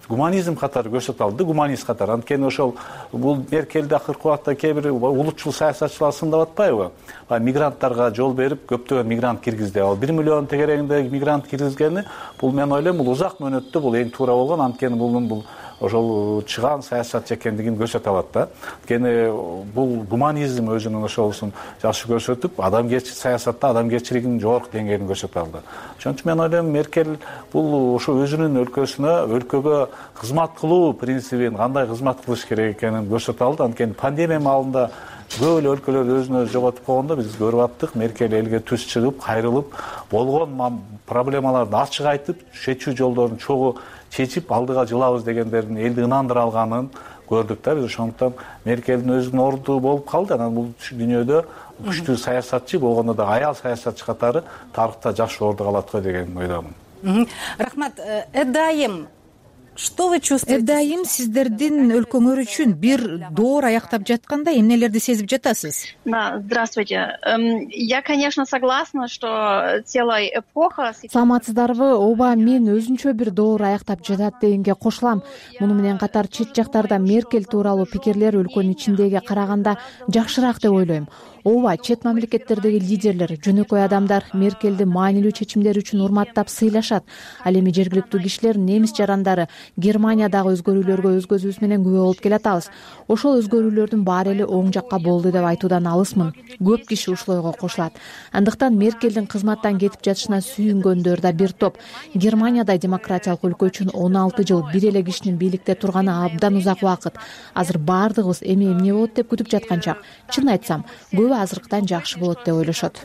гуманизм катары көрсөтө алды, гуманист катары. Анткени ошол бул Меркелди акыркы убакта кээ бир улутчул саясатчылар сындап атпайбы? Мигранттарга жол берип, көптөгөн мигрант киргизди. Ал 1 миллион тегерегинде мигрант киргизгени, бул мен ойлойм, бул узак мөөнөттө бул эң туура болгон. Анткени бул ошол чыгаан саясатчы экендигин көрсөтө алат да. Анткени бул гуманизм өзүнүн ошолусун жакшы көрсөтүп, адамгерчилик саясатта адамгерчилигинин жогорку деңгээлин көрсөтө алды. Ошон үчүн мен ойлойм, Меркель бул ошо өзүнүн өлкөгө кызмат кылуу принцибин, кандай кызмат кылыш керек экенин көрсөтө алды. Анткени пандемия маалында көп эле өлкөлөр өзүн өзү жоготуп койгондо биз көрүп аттык. Меркель элге түз чыгып, кайрылып, болгон проблемаларды ачык айтып, чечүү жолдорун чогуу чечип, алдыга жылабыз дегендерин элди ынандыра алганын көрдүк да. Биз ошондуктан Меркелдин өзүнүн орду болуп калды. Анан бул дүйнөдө күчтүү саясатчы болгондо да аял саясатчы катары тарыхта жакшы орду калат го деген ойдомун. Рахмат. Эдайым, что вы чувствуете? Эдайым, сиздердин өлкөңөр үчүн бир доор аяктап жатканда эмнелерди сезип жатасыз? Да, здравствуйте. Я, конечно, согласна, что целая эпоха... Саламатсыздарбы? Ооба, мен өзүнчө бир доор аяктап жатат дегенге кошулам. Муну менен катар чет жактарда Меркель тууралуу пикирлер өлкөнүн ичиндеги караганда жакшыраак деп ойлойм. Ооба, чет мамлекеттердеги лидерлер, жөнөкөй адамдар Меркелди маанилүү чечимдери үчүн урматтап сыйлашат. Ал эми жергиликтүү кишилер, немис жарандары Германиядагы өзгөрүүлөргө өз көзүбүз менен күбө болуп келатабыз. Ошол өзгөрүүлөрдүн баары эле оң жакка болду деп айтуудан алысмын. Көп киши ушул ойго кошулат. Андыктан Меркелдин кызматтан кетип жатышына сүйүнгөндөр да бир топ. Германияда демократиялык өлкө үчүн 16 жыл бир эле кишинин бийликте турганы абдан узак убакыт. Азыр баардыгыбыз эми эмне болот деп күтүп жаткан чак. Чын айтсам, азыркыдан жакшы болот деп ойлошот.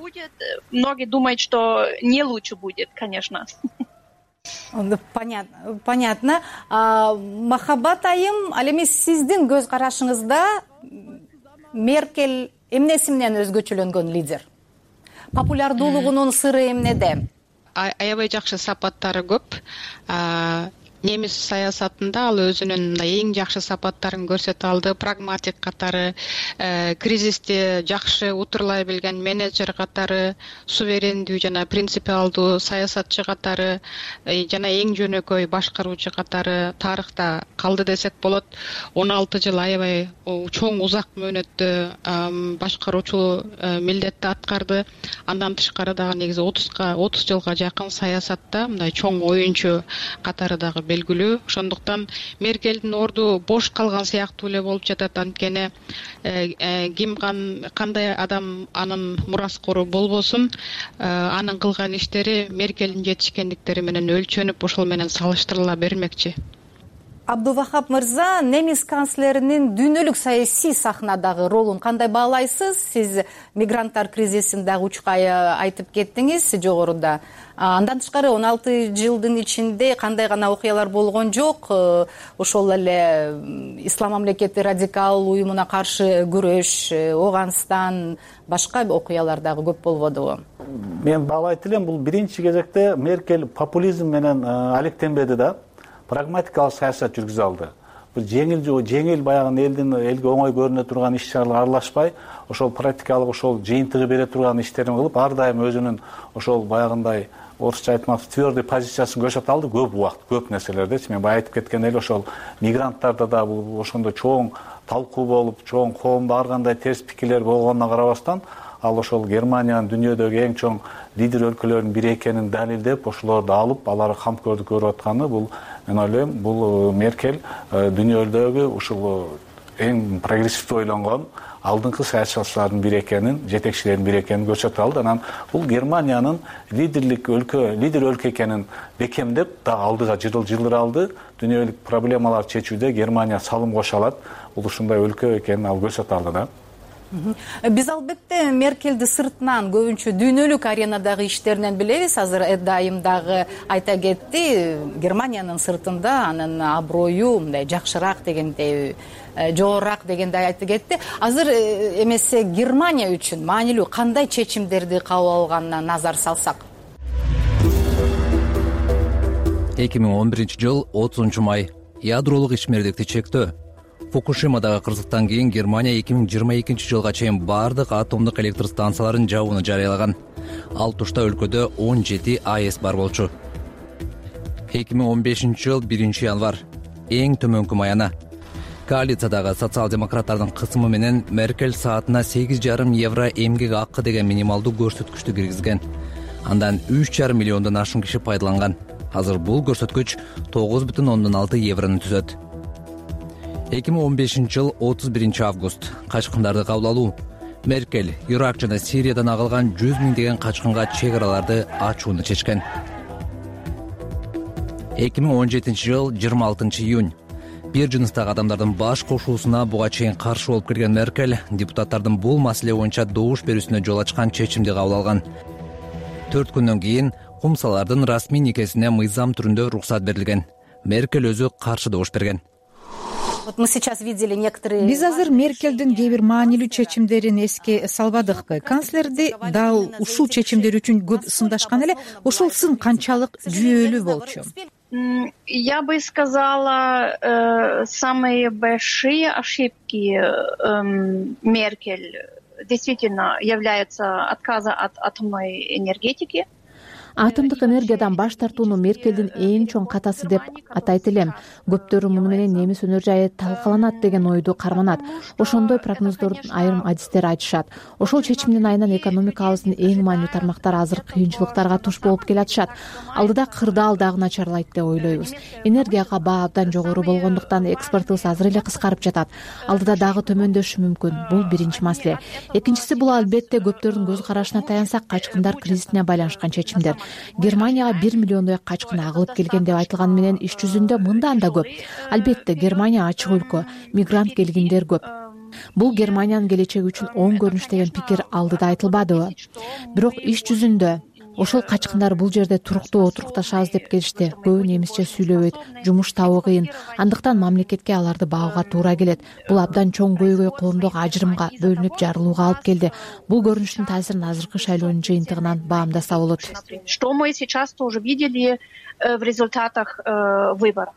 Многие думают, что не лучше будет, конечно. Понятно. Махаббат айым, ал эми сиздин көз карашыңызда Меркель эмнеси менен өзгөчөлөнгөн лидер? Популярдуулугунун сыры эмнеде? Аябай жакшы сапаттары көп. Немис саясатында ал өзүнүн эң жакшы сапаттарын көрсөтө алды. Прагматик катары, кризисти жакшы утурлай билген менеджер катары, суверендүү жана принципиалдуу саясатчы катары, жана эң жөнөкөй башкаруучу катары тарыхта калды десек болот. 16 жыл аябай чоң узак мөөнөттө башкаруучу милдетти аткарды. Андан тышкары дагы негизи 30 жылга жакын саясатта мындай чоң оюнчу катары дагы белгилүү. Ошондуктан Меркелдин орду бош калган сыяктуу эле болуп жатат. Анткени кандай адам анын мураскору болбосун, анын кылган иштери Меркелдин жетишкендиктери менен өлчөнүп, ошол менен салыштырыла бермекчи. Абдувахап мырза, немис канцлеринин дүйнөлүк саясий сахнадагы ролун кандай баалайсыз? Сиз мигранттар кризисин дагы учкай айтып кеттиңиз жогоруда. Андан тышкары 16 жылдын ичинде кандай гана окуялар болгон жок. Ошол эле Ислам мамлекети радикал уюмуна каршы күрөш, Оганстан, башка окуялар дагы көп болбодубу? Мен баалайт элем, бул биринчи кезекте Меркель популизм менен алектенбеди да, прагматикалык саясат жүргүзө алды. Бул жеңил баягы элге оңой көрүнө турган иш-чараларга аралашпай, ошол практикалык, ошол жыйынтыгы бере турган иштерин кылып, ар дайым өзүнүн ошол баягындай орусча айтмак твердый позициясын көрсөтө алды көп убакыт, көп нерселердечи. Мен бая айтып кеткендей эле ошол мигранттарда да бул ошондой чоң талкуу болуп, чоң коомдо ар кандай терс пикирлер болгонуна карабастан, ал ошол Германиянын дүйнөдөгү эң чоң лидер өлкөлөрдүн бири экенин далилдеп, ошолорду алып, алар камкордук көрүп атканы, бул мен ойлойм, бул Меркель дүйнөдөгү ушул эң прогрессивдүү ойлонгон алдыңкы саясатчылардын бири экенин, жетекчилердин бири экенин көрсөтө алды. Анан бул Германиянын лидер өлкө экенин бекемдеп, дагы алдыга жылдыра алды. Дүйнөлүк проблемалар чечүүдө Германия салым кошо алат. Бул ушундай өлкө экенин ал көрсөтө алды да. Биз албетте Меркелди сыртынан, көбүнчө дүйнөлүк аренадагы иштеринен билебиз. Азыр Эдайым дагы айта кетти, Германиянын сыртында анын аброю мындай жакшыраак дегендей, жогорураак дегендей айтып кетти. Азыр эмесе Германия үчүн маанилүү кандай чечимдерди кабыл алганына назар салсак? 2011 жыл 30 май. Ядролук ишмердикти чектөө. Фукушимадагы кырсыктан кийин Германия 2022 жылга чейин бардык атомдук электр станцияларын жабууну жарыялаган. Ал тушта өлкөдө 17 АЭС бар болчу. 2015 жыл 1 январь. Эң төмөнкү маяна. Коалициядагы социал-демократтардын кысымы менен Меркель саатына 8,5 евро эмгек акы деген минималдуу көрсөткүчтү киргизген. Андан 3,5 миллиондон ашык киши пайдаланган. Азыр бул көрсөткүч 9,6 еврону түзөт. 2015 жыл 31 август. Качкындарды кабыл алуу. Меркель Ирак жана Сириядан агылган 100 миңдеген качкынга чек араларды ачууну чечкен. 2017 жыл 26 июнь. Бир жыныстагы адамдардын баш кошуусуна буга чейин каршы болуп келген Меркель депутаттардын бул маселе боюнча добуш берүүсүнө жол ачкан чечимди кабыл алган. 4 күндөн кийин кумсалардын расмий никесине мыйзам түрүндө уруксат берилген. Меркель өзү каршы добуш берген. Биз азыр Меркелдин кээ бир маанилүү чечимдерин эске салбадыкпы. Канцлерди дал ушул чечимдер үчүн көп сындашкан эле. Ошол сын канчалык жүйөлүү болчу? Я бы сказала, самые большие ошибки Меркель действительно являются отказа от атомной энергетики. Атомдук энергиядан баш тартууну Меркелдин эң чоң катасы деп атайт элем. Көптөрү муну менен немис өнөр жайы талкаланат деген ойду карманат. Ошондой прогноздордун айрым адистери айтышат. Ошол чечимдин айынан экономикабыздын эң маанилүү тармактары азыр кыйынчылыктарга туш болуп келатышат. Алдыда кырдаал дагы начарлайт деп ойлойбуз. Энергияга баа абдан жогору болгондуктан экспортубуз азыр эле кыскарып жатат. Алдыда дагы төмөндөшү мүмкүн. Бул биринчи маселе. Экинчиси, бул албетте көптөрдүн көз карашына таянсак, качкындар кризисине байланышкан чечимдер. Германияга 1 миллиондой качкын агылып келген деп айтылганы менен иш жүзүндө мындан да көп. Албетте Германия ачык өлкө, мигрант келгиндер көп. Бул Германиянын келечеги үчүн оң көрүнүш деген пикир алдыда айтылбадыбы? Бирок иш жүзүндө ошол качкындар бул жерде туруктуу отурукташабыз деп келишти. Көбү немисче сүйлөбөйт, жумуш табуу кыйын. Андыктан мамлекетке аларды багууга туура келет. Бул абдан чоң көйгөй коомдогу ажырымга, бөлүнүп жарылууга алып келди. Бул көрүнүштүн таасирин азыркы шайлоонун жыйынтыгынан баамдаса болот. Что мы сейчас тоже видели в результатах выборов.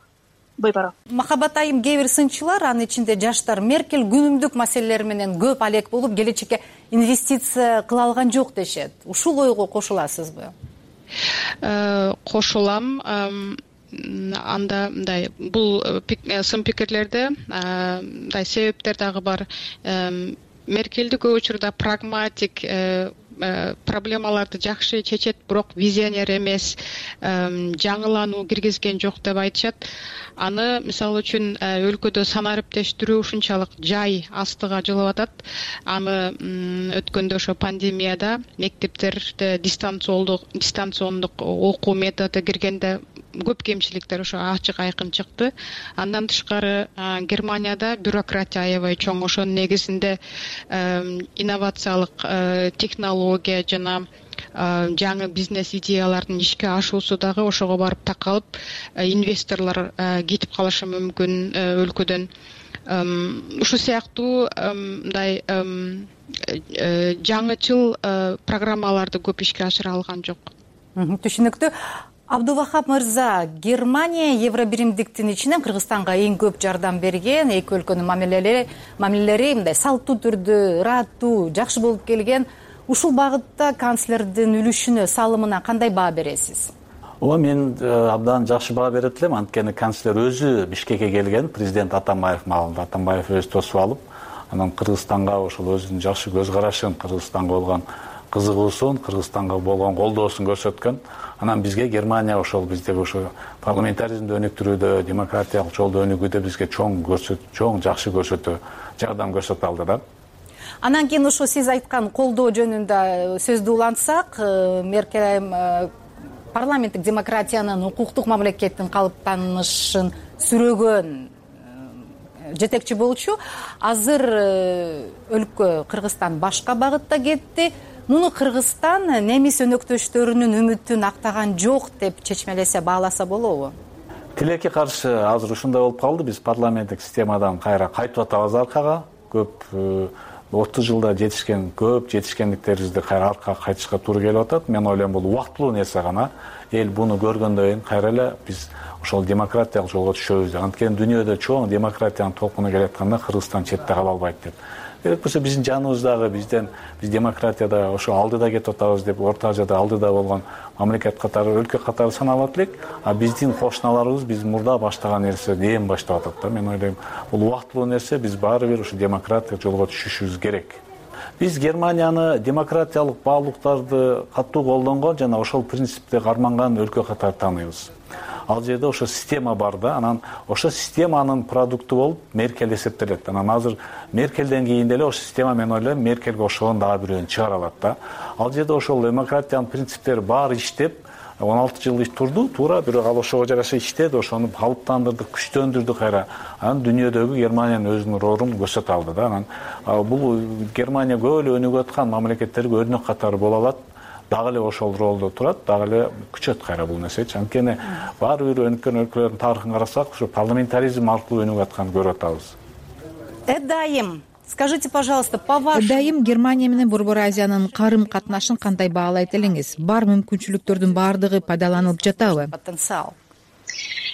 Махабат айым, кээ бир сынчылар, анын ичинде жаштар, Меркель күнүмдүк маселелер менен көп алек болуп, келечекке инвестиция кыла алган жок дешет. Ушул ойго кошуласызбы? Кошулам. Анда мындай бул сын пикирлерде мындай себептер дагы бар. Меркелди көп учурда прагматик, проблемаларды жакшы чечет, бирок визионер эмес, жаңылануу киргизген жок деп айтышат. Аны мисалы үчүн өлкөдө санариптештирүү ушунчалык жай астыга жылып атат. Аны өткөндө ошо пандемияда мектептерде дистанциондук окуу методу киргенде көп кемчиликтер ошо ачык айкын чыкты. Андан тышкары Германияда бюрократия аябай чоң. Ошонун негизинде инновациялык технология жана жаңы бизнес идеялардын ишке ашуусу дагы ошого барып такалып, инвесторлор кетип калышы мүмкүн өлкөдөн. Ушул сыяктуу мындай жаңычыл программаларды көп ишке ашыра алган жок. Түшүнүктүү. Абдувахап мырза, Германия евробиримдиктин ичинен Кыргызстанга эң көп жардам берген, эки өлкөнүн мамилелери мындай салттуу түрдө, ыраттуу, жакшы болуп келген. Ушул багытта канцлердин үлүшүнө, салымына кандай баа бересиз? Мен абдан жакшы баа берет элем. Анткени канцлер өзү Бишкекке келген, президент Атамбаев маалында. Атамбаев өзү тосуп алып, анан Кыргызстанга ошол өзүнүн жакшы көз карашын, Кыргызстанга болгон кызыгуусун, Кыргызстанга болгон колдоосун көрсөткөн. Анан бизге Германия ошол биздеги ошо парламентаризмди өнүктүрүүдө, демократиялык жолдо өнүгүүдө бизге чоң жакшы көрсөтүү, жардам көрсөтүп алды да. Анан кийин ошо сиз айткан колдоо жөнүндө сөздү улантсак, Меркель парламенттик демократиянын, укуктук мамлекеттин калыптанышын сүрөгөн жетекчи болчу. Азыр өлкө Кыргызстан башка багытта кетти. Муну Кыргызстан немис өнөктөштөрүнүн үмүтүн актаган жок деп чечмелесе, бааласа болобу? Тилекке каршы азыр ушундай болуп калды. Биз парламенттик системадан кайра кайтып атабыз аркага. Көп 30 жылда жетишкен көп жетишкендиктерибизди кайра аркага кайтышка туура келип атат. Мен ойлойм, бул убактылуу нерсе гана. Эл буну көргөндөн кийин кайра эле биз ошол демократиялык жолго түшөбүз деп. Анткени дүйнөдө чоң демократиянын толкуну келатканда Кыргызстан четте кала албайт деп. Керек болсо биздин жаныбыздагы биз демократияда ошо алдыда кетип атабыз деп, Орто Азияда алдыда болгон мамлекет катары, өлкө катары саналат элек. А биздин кошуналарыбыз биз мурда баштаган нерседи эми баштап атат да. Мен ойлойм, бул убактылуу нерсе, биз баары бир ошо демократиялык жолго түшүшүбүз керек. Биз Германияны демократиялык баалуулуктарды катуу колдонгон жана ошол принципти карманган өлкө катары тааныйбыз. Ал жерде ошо система бар да, анан ошо системанын продукту болуп Меркель эсептелет. Анан азыр Меркелден кийин деле ошо система, мен ойлойм, Меркельге окшогон дагы бирөөнү чыгара алат да. Ал жерде ошол демократиянын принциптери баары иштеп, 16 жыл турду, туура, бирок ал ошого жараша иштеди, ошону калыптандырды, күчтөндүрдү кайра. Анан дүйнөдөгү Германиянын өзүнүн ролун көрсөтө алды да. Анан бул Германия көп эле өнүгүп аткан мамлекеттерге өрнөк катары боло алат. Дагы эле ошол ролдо турат, дагы эле күчөт кайра бул нерсечи. Анткени баары бир өнүккөн өлкөлөрдүн тарыхын карасак, ошо парламентаризм аркылуу өнүгүп атканын көрүп атабыз. Эдайым, скажите, пожалуйста, по-вашему... Эдайым, Германия менен Борбор Азиянын карым катнашын кандай баалайт элеңиз? Бар мүмкүнчүлүктөрдүн баардыгы пайдаланылып жатабы? Потенциал.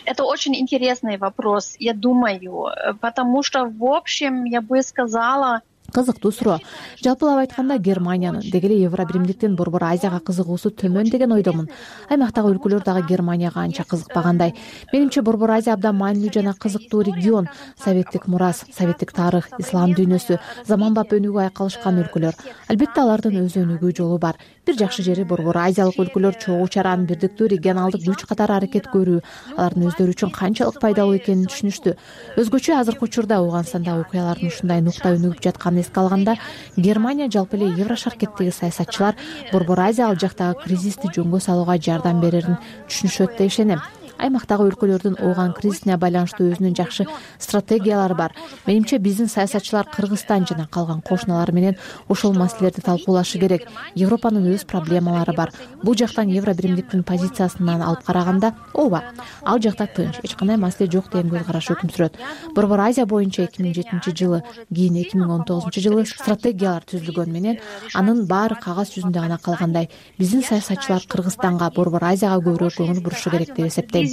Это очень интересный вопрос, я думаю, потому что, в общем, я бы сказала... Кызыктуу суроо. Жалпылап айтканда, Германиянын, деги эле Евробиримдиктин Борбор Азияга кызыгуусу төмөн деген ойдомун. Аймактагы өлкөлөр дагы Германияга анча кызыкпагандай. Менимче Борбор Азия абдан маанилүү жана кызыктуу регион. Советтик мурас, советтик тарых, ислам дүйнөсү, заманбап өнүгүү айкалышкан өлкөлөр. Албетте алардын өз өнүгүү жолу бар. Бир жакшы жери Борбор Азиялык өлкөлөр чогуу чаран бирдиктүү регионалдык күч катары аракет көрүү, алардын өздөрү үчүн канчалык пайдалуу экенин түшүнүштү. Өзгөчө азыркы учурда Ауганстанда окуялардын ушундай нукта өнүгүп жатканын эске алганда, Германия, жалпы эле Еврошаркеттеги саясатчылар Борбор Азия ал жактагы кризисти жөнгө салууга жардам берерин түшүнүшөт деп ишенем. Аймактагы өлкөлөрдүн ооган кризисине байланыштуу өзүнүн жакшы стратегиялары бар. Менимче биздин саясатчылар Кыргызстан жана калган кошуналар менен ошол маселелерди талкуулашы керек. Европанын өз проблемалары бар. Бул жактан Евробиримдиктин позициясынан алып караганда, ооба, ал жакта тынч, эч кандай маселе жок деген көз караш өкүм сүрөт. Борбор Азия боюнча 2007-жылы, кийин 2019-жылы стратегиялар түзүлгөн менен анын баары кагаз жүзүндө гана калгандай. Биздин саясатчылар Кыргызстанга, Борбор Азияга көбүрөөк көңүл бурушу керек деп эсептейм.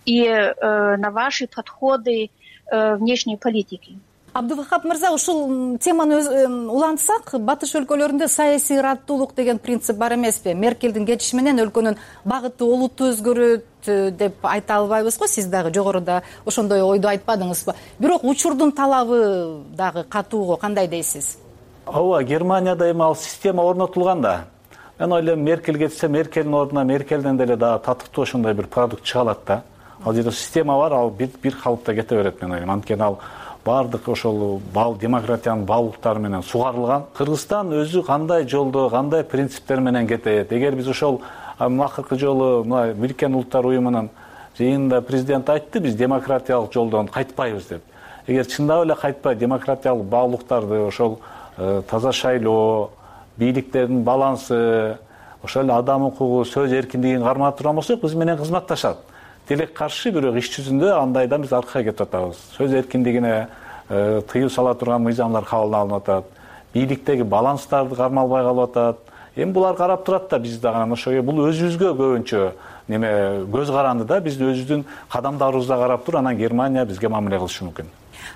И на ваши подходы внешней политики. Абдувахап мырза, ушул теманы улантсак, батыш өлкөлөрүндө саясий ыраттуулук деген принцип бар эмеспи? Меркелдин кетиши менен өлкөнүн багыты олуттуу өзгөрөт деп айта албайбыз го. Сиз дагы жогоруда ошондой ойду айтпадыңызбы? Бирок учурдун талабы дагы катуу, кандай дейсиз? Ооба, Германияда эми ал система орнотулган да. Мен ойлойм, Меркель кетсе, Меркелдин ордуна Меркелден деле дагы татыктуу ошондой бир продукт чыга алат да. Ал жерде система бар, ал бир калыпта кете берет, мен ойлойм. Анткени ал баардык ошол демократиянын баалуулуктары менен сугарылган. Кыргызстан өзү кандай жолдо, кандай принциптер менен кетет? Эгер биз ошол акыркы жолу мына Бириккен Улуттар уюмунун жыйында президент айтты, биз демократиялык жолдон кайтпайбыз деп. Эгер чындап эле кайтпай демократиялык баалуулуктарды, ошол таза шайлоо, бийликтердин балансы, ошол эле адам укугу, сөз эркиндигин кармап турган болсок, биз менен кызматташат. Тилек каршы, бирок иш жүзүндө андайдан биз аркага кетип атабыз. Сөз эркиндигине тыюу сала турган мыйзамдар кабыл алынып атат. Бийликтеги баланстарды кармалбай калып атат. Эми булар карап турат да, биз дагы ошого бул өзүбүзгө көбүнчө көз каранды да, биз өзүбүздүн кадамдарыбызга карап туруп, анан Германия бизге мамиле кылышы мүмкүн.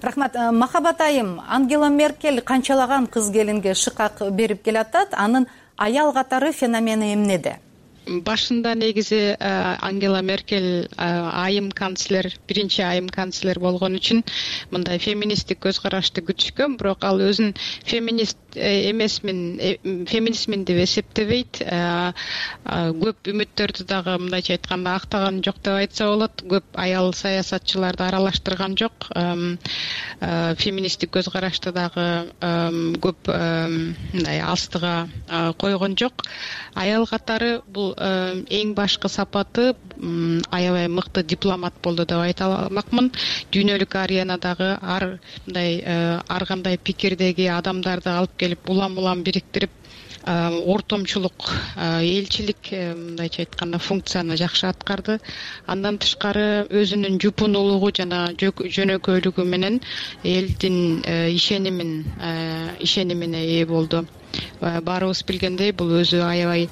Рахмат. Махабат айым, Ангела Меркель канчалаган кыз келинге шыкак берип келатат, анын аял катары феномени эмнеде? Башында негизи Ангела Меркель айым канцлер, биринчи айым канцлер болгон үчүн мындай феминисттик көз карашты күтүшкөн, бирок ал өзүн феминист феминистмин деп эсептебейт. Көп үмүттөрдү дагы мындайча айтканда актаган жок деп айтса болот. Көп аял саясатчыларды аралаштырган жок. Феминисттик көз карашты дагы көп мындай астыга койгон жок. Аял катары бул эң башкы сапаты аябай мыкты дипломат болду деп айта алмакмын. Дүйнөлүк аренадагы ар кандай пикирдеги адамдарды алып келип улам бириктирип, ортомчулук, элчилик мындайча айтканда функцияны жакшы аткарды. Андан тышкары өзүнүн жупунулугу жана жөнөкөйлүгү менен элдин ишенимине ээ болду. Баарыбыз билгендей, бул өзү аябай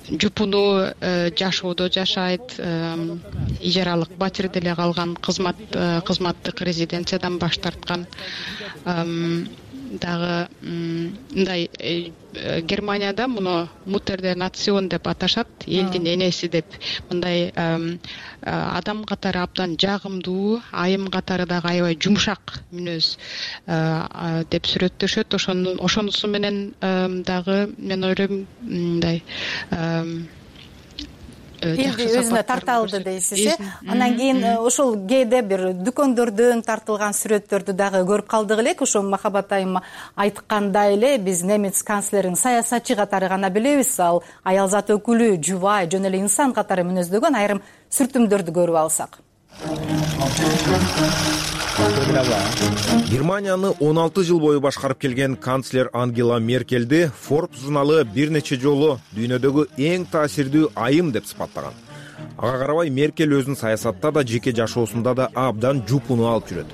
жупунуу жашоодо жашайт, ижаралык батирде эле калган, кызматтык резиденциядан баш тарткан. Дагы мындай Германияда муну Mutter Nation деп аташат, элдин энеси деп. Мындай адам катары абдан жагымдуу, айым катары дагы аябай жумшак мүнөз деп сүрөттөшөт. Ошонусу менен дагы мен ойлойм мындай элди өзүнө тарта алды дейсиз. Анан кийин ошол кээде бир дүкөндөрдөн тартылган сүрөттөрдү дагы көрүп калдык элек. Ошо Махабат айым айткандай эле, биз немец канцлерин саясатчы катары гана билебиз. Ал аялзат өкүлү, жубай, жөн эле инсан катары мүнөздөгөн айрым сүртүмдөрдү көрүп алсак. Германияны 16 жыл бою башкарып келген канцлер Ангела Меркельди Forbes журналы бир нече жолу дүйнөдөгү эң таасирдүү айым деп сыпаттаган. Ага карабай Меркель өзүнүн саясатта да жеке жашоосунда да абдан жупуну алып жүрөт.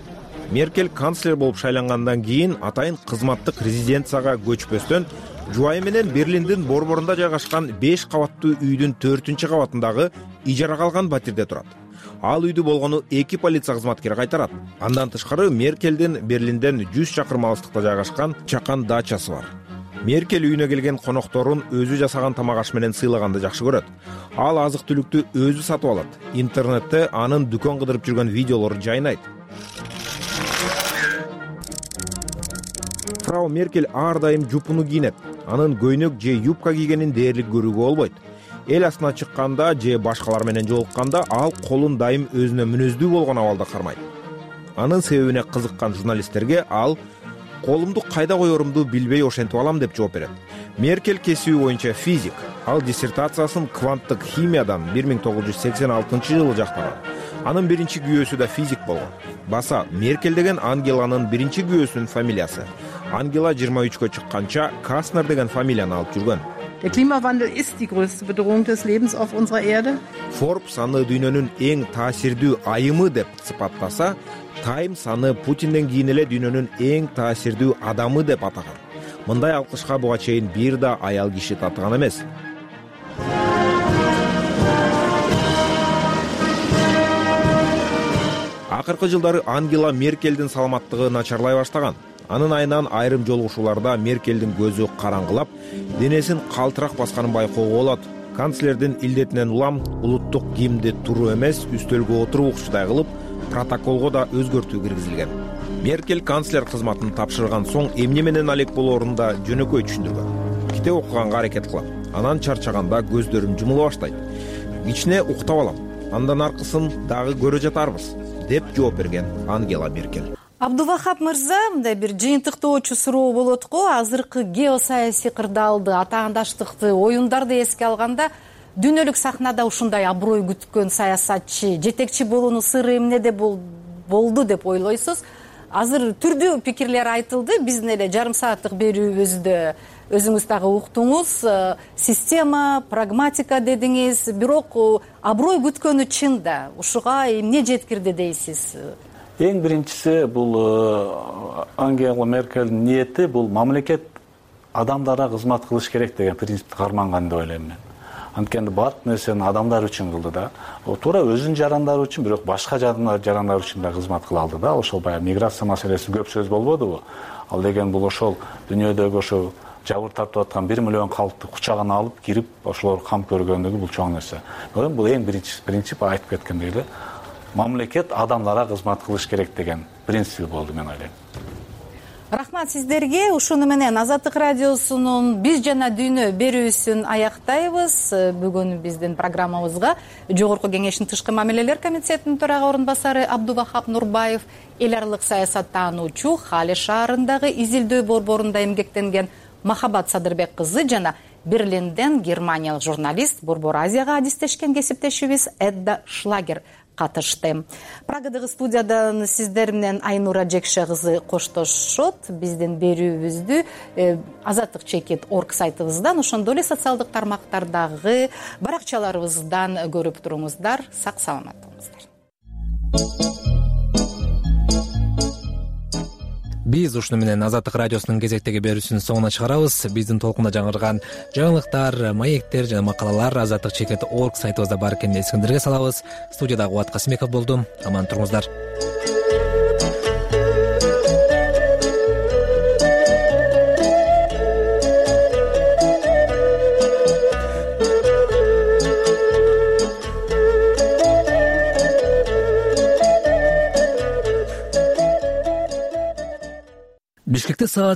Меркель канцлер болуп шайлангандан кийин атайын кызматтык резиденцияга көчпөстөн жубайы менен Берлиндин борборунда жайгашкан 5 кабаттуу үйдүн 4-кабатындагы ижарага алган батирде турат. Ал үйдү болгону 2 полиция кызматкери кайтарат. Андан тышкары Меркелдин Берлинден 100 чакырым алыстыкта жайгашкан чакан дачасы бар. Меркель үйүнө келген конокторун өзү жасаган тамак аш менен сыйлаганды жакшы көрөт. Ал азык-түлүктү өзү сатып алат. Интернетте анын дүкөн кыдырып жүргөн видеолору жайнайт. Фрау Меркель ар дайым жупуну кийинет. Анын көйнөк же юбка кийгенин дээрлик көрүүгө болбойт. Эл астына чыкканда же башкалар менен жолукканда ал колун дайым өзүнө мүнөздүү болгон абалда кармайт. Анын себебине кызыккан журналисттерге ал колумду кайда коерумду билбей ошентип алам деп жооп берет. Меркель кесиби боюнча физик. Ал диссертациясын кванттык химиядан 1986 жылы жактаган. Анын биринчи күйөөсү да физик болгон. Баса Меркель деген Ангеланын биринчи күйөөсүнүн фамилиясы. Ангела 23-кө чыкканча Каснер деген фамилияны алып жүргөн. Der Klimawandel ist die größte Bedrohung des Lebens auf unserer Erde. Forbes аны дүйнөнүн эң таасирдүү айымы деп сыпаттаса, Times аны Путинден кийин эле дүйнөнүн эң таасирдүү адамы деп атаган. Мындай алкышка буга чейин бир да аял киши татыган эмес. Акыркы жылдары Ангела Меркелдин саламаттыгы начарлай баштаган. Анын айынан айрым жолугушууларда Меркелдин көзү караңгылап, денесин калтырак басканын байкоого болот. Канцлердин илдетинен улам улуттук гимнди туруу эмес, үстөлгө отуруп укчудай кылып, протоколго да өзгөртүү киргизилген. Меркель канцлер кызматын тапшырган соң эмне менен алек болоорун да жөнөкөй түшүндүргөн. Китеп окуганга аракет кылам. Анан чарчаганда көздөрүм жумула баштайт. Кичине уктап алам. Андан аркысын дагы көрө жатарбыз, деп жооп берген Ангела Меркель. Абдувахап мырза, мындай бир жыйынтыктоочу суроо болот го. Азыркы геосаясий кырдаалды, атаандаштыкты, оюндарды эске алганда, дүйнөлүк сахнада ушундай аброй күткөн саясатчы жетекчи болуунун сыры эмнеде болду деп ойлойсуз? Азыр түрдүү пикирлер айтылды. Биздин эле жарым сааттык берүүбүздө өзүңүз дагы уктуңуз. Система, прагматика дедиңиз, бирок аброй күткөнү чын да. Ушуга эмне жеткирди дейсиз? Эң биринчиси бул Ангела Меркельдин ниети бул мамлекет адамдарга кызмат кылыш керек деген принципти карманган деп ойлойм мен. Анткени баардык нерсени адамдар үчүн кылды да. Туура өзүнүн жарандары үчүн, бирок башка жарандар үчүн да кызмат кыла алды да. Ошол баягы миграция маселеси көп сөз болбодубу? Ал деген бул ошол дүйнөдөгү ошол жабыр тартып аткан 1 миллион калкты кучагына алып кирип, ошолор кам көргөндүгү бул чоң нерсе. Бул эң биринчи принцип айтып кеткендей эле. Мамлекет адамдарга кызмат кылыш керек деген принцип болду, мен ойлойм. Рахмат сиздерге. Ушуну менен Азаттык радиосунун Биз жана дүйнө берүүсүн аяктайбыз. Бүгүн биздин программабызга Жогорку Кеңештин Тышкы мамилелер комитетинин төрага орун басары Абдубахап Нурбаев, эл аралык саясаттануучу, Хали шаарындагы изилдөө борборунда эмгектенген Махабат Садырбек кызы жана Берлинден германиялык журналист, Борбор Азияга адистешкен кесиптешибиз Эдда Шлагер катышты. Прагадагы студиядан сиздер менен Айнура Жекше кызы коштошот. Биздин берүүбүздү azatlyk.org сайтыбыздан, ошондой эле социалдык тармактардагы баракчаларыбыздан көрүп туруңуздар. Сак саламат болуңуздар. Биз ушуну менен Азаттык радиосунун кезектеги берүүсүнүн соңуна чыгарабыз. Биздин толкунда жаңырган жаңылыктар, маектер жана макалалар azatlyk.org сайтыбызда бар экенин эсиңиздерге салабыз. Студияда Кубат Касымбеков болду. Аман туруңуздар. Бишкекте саат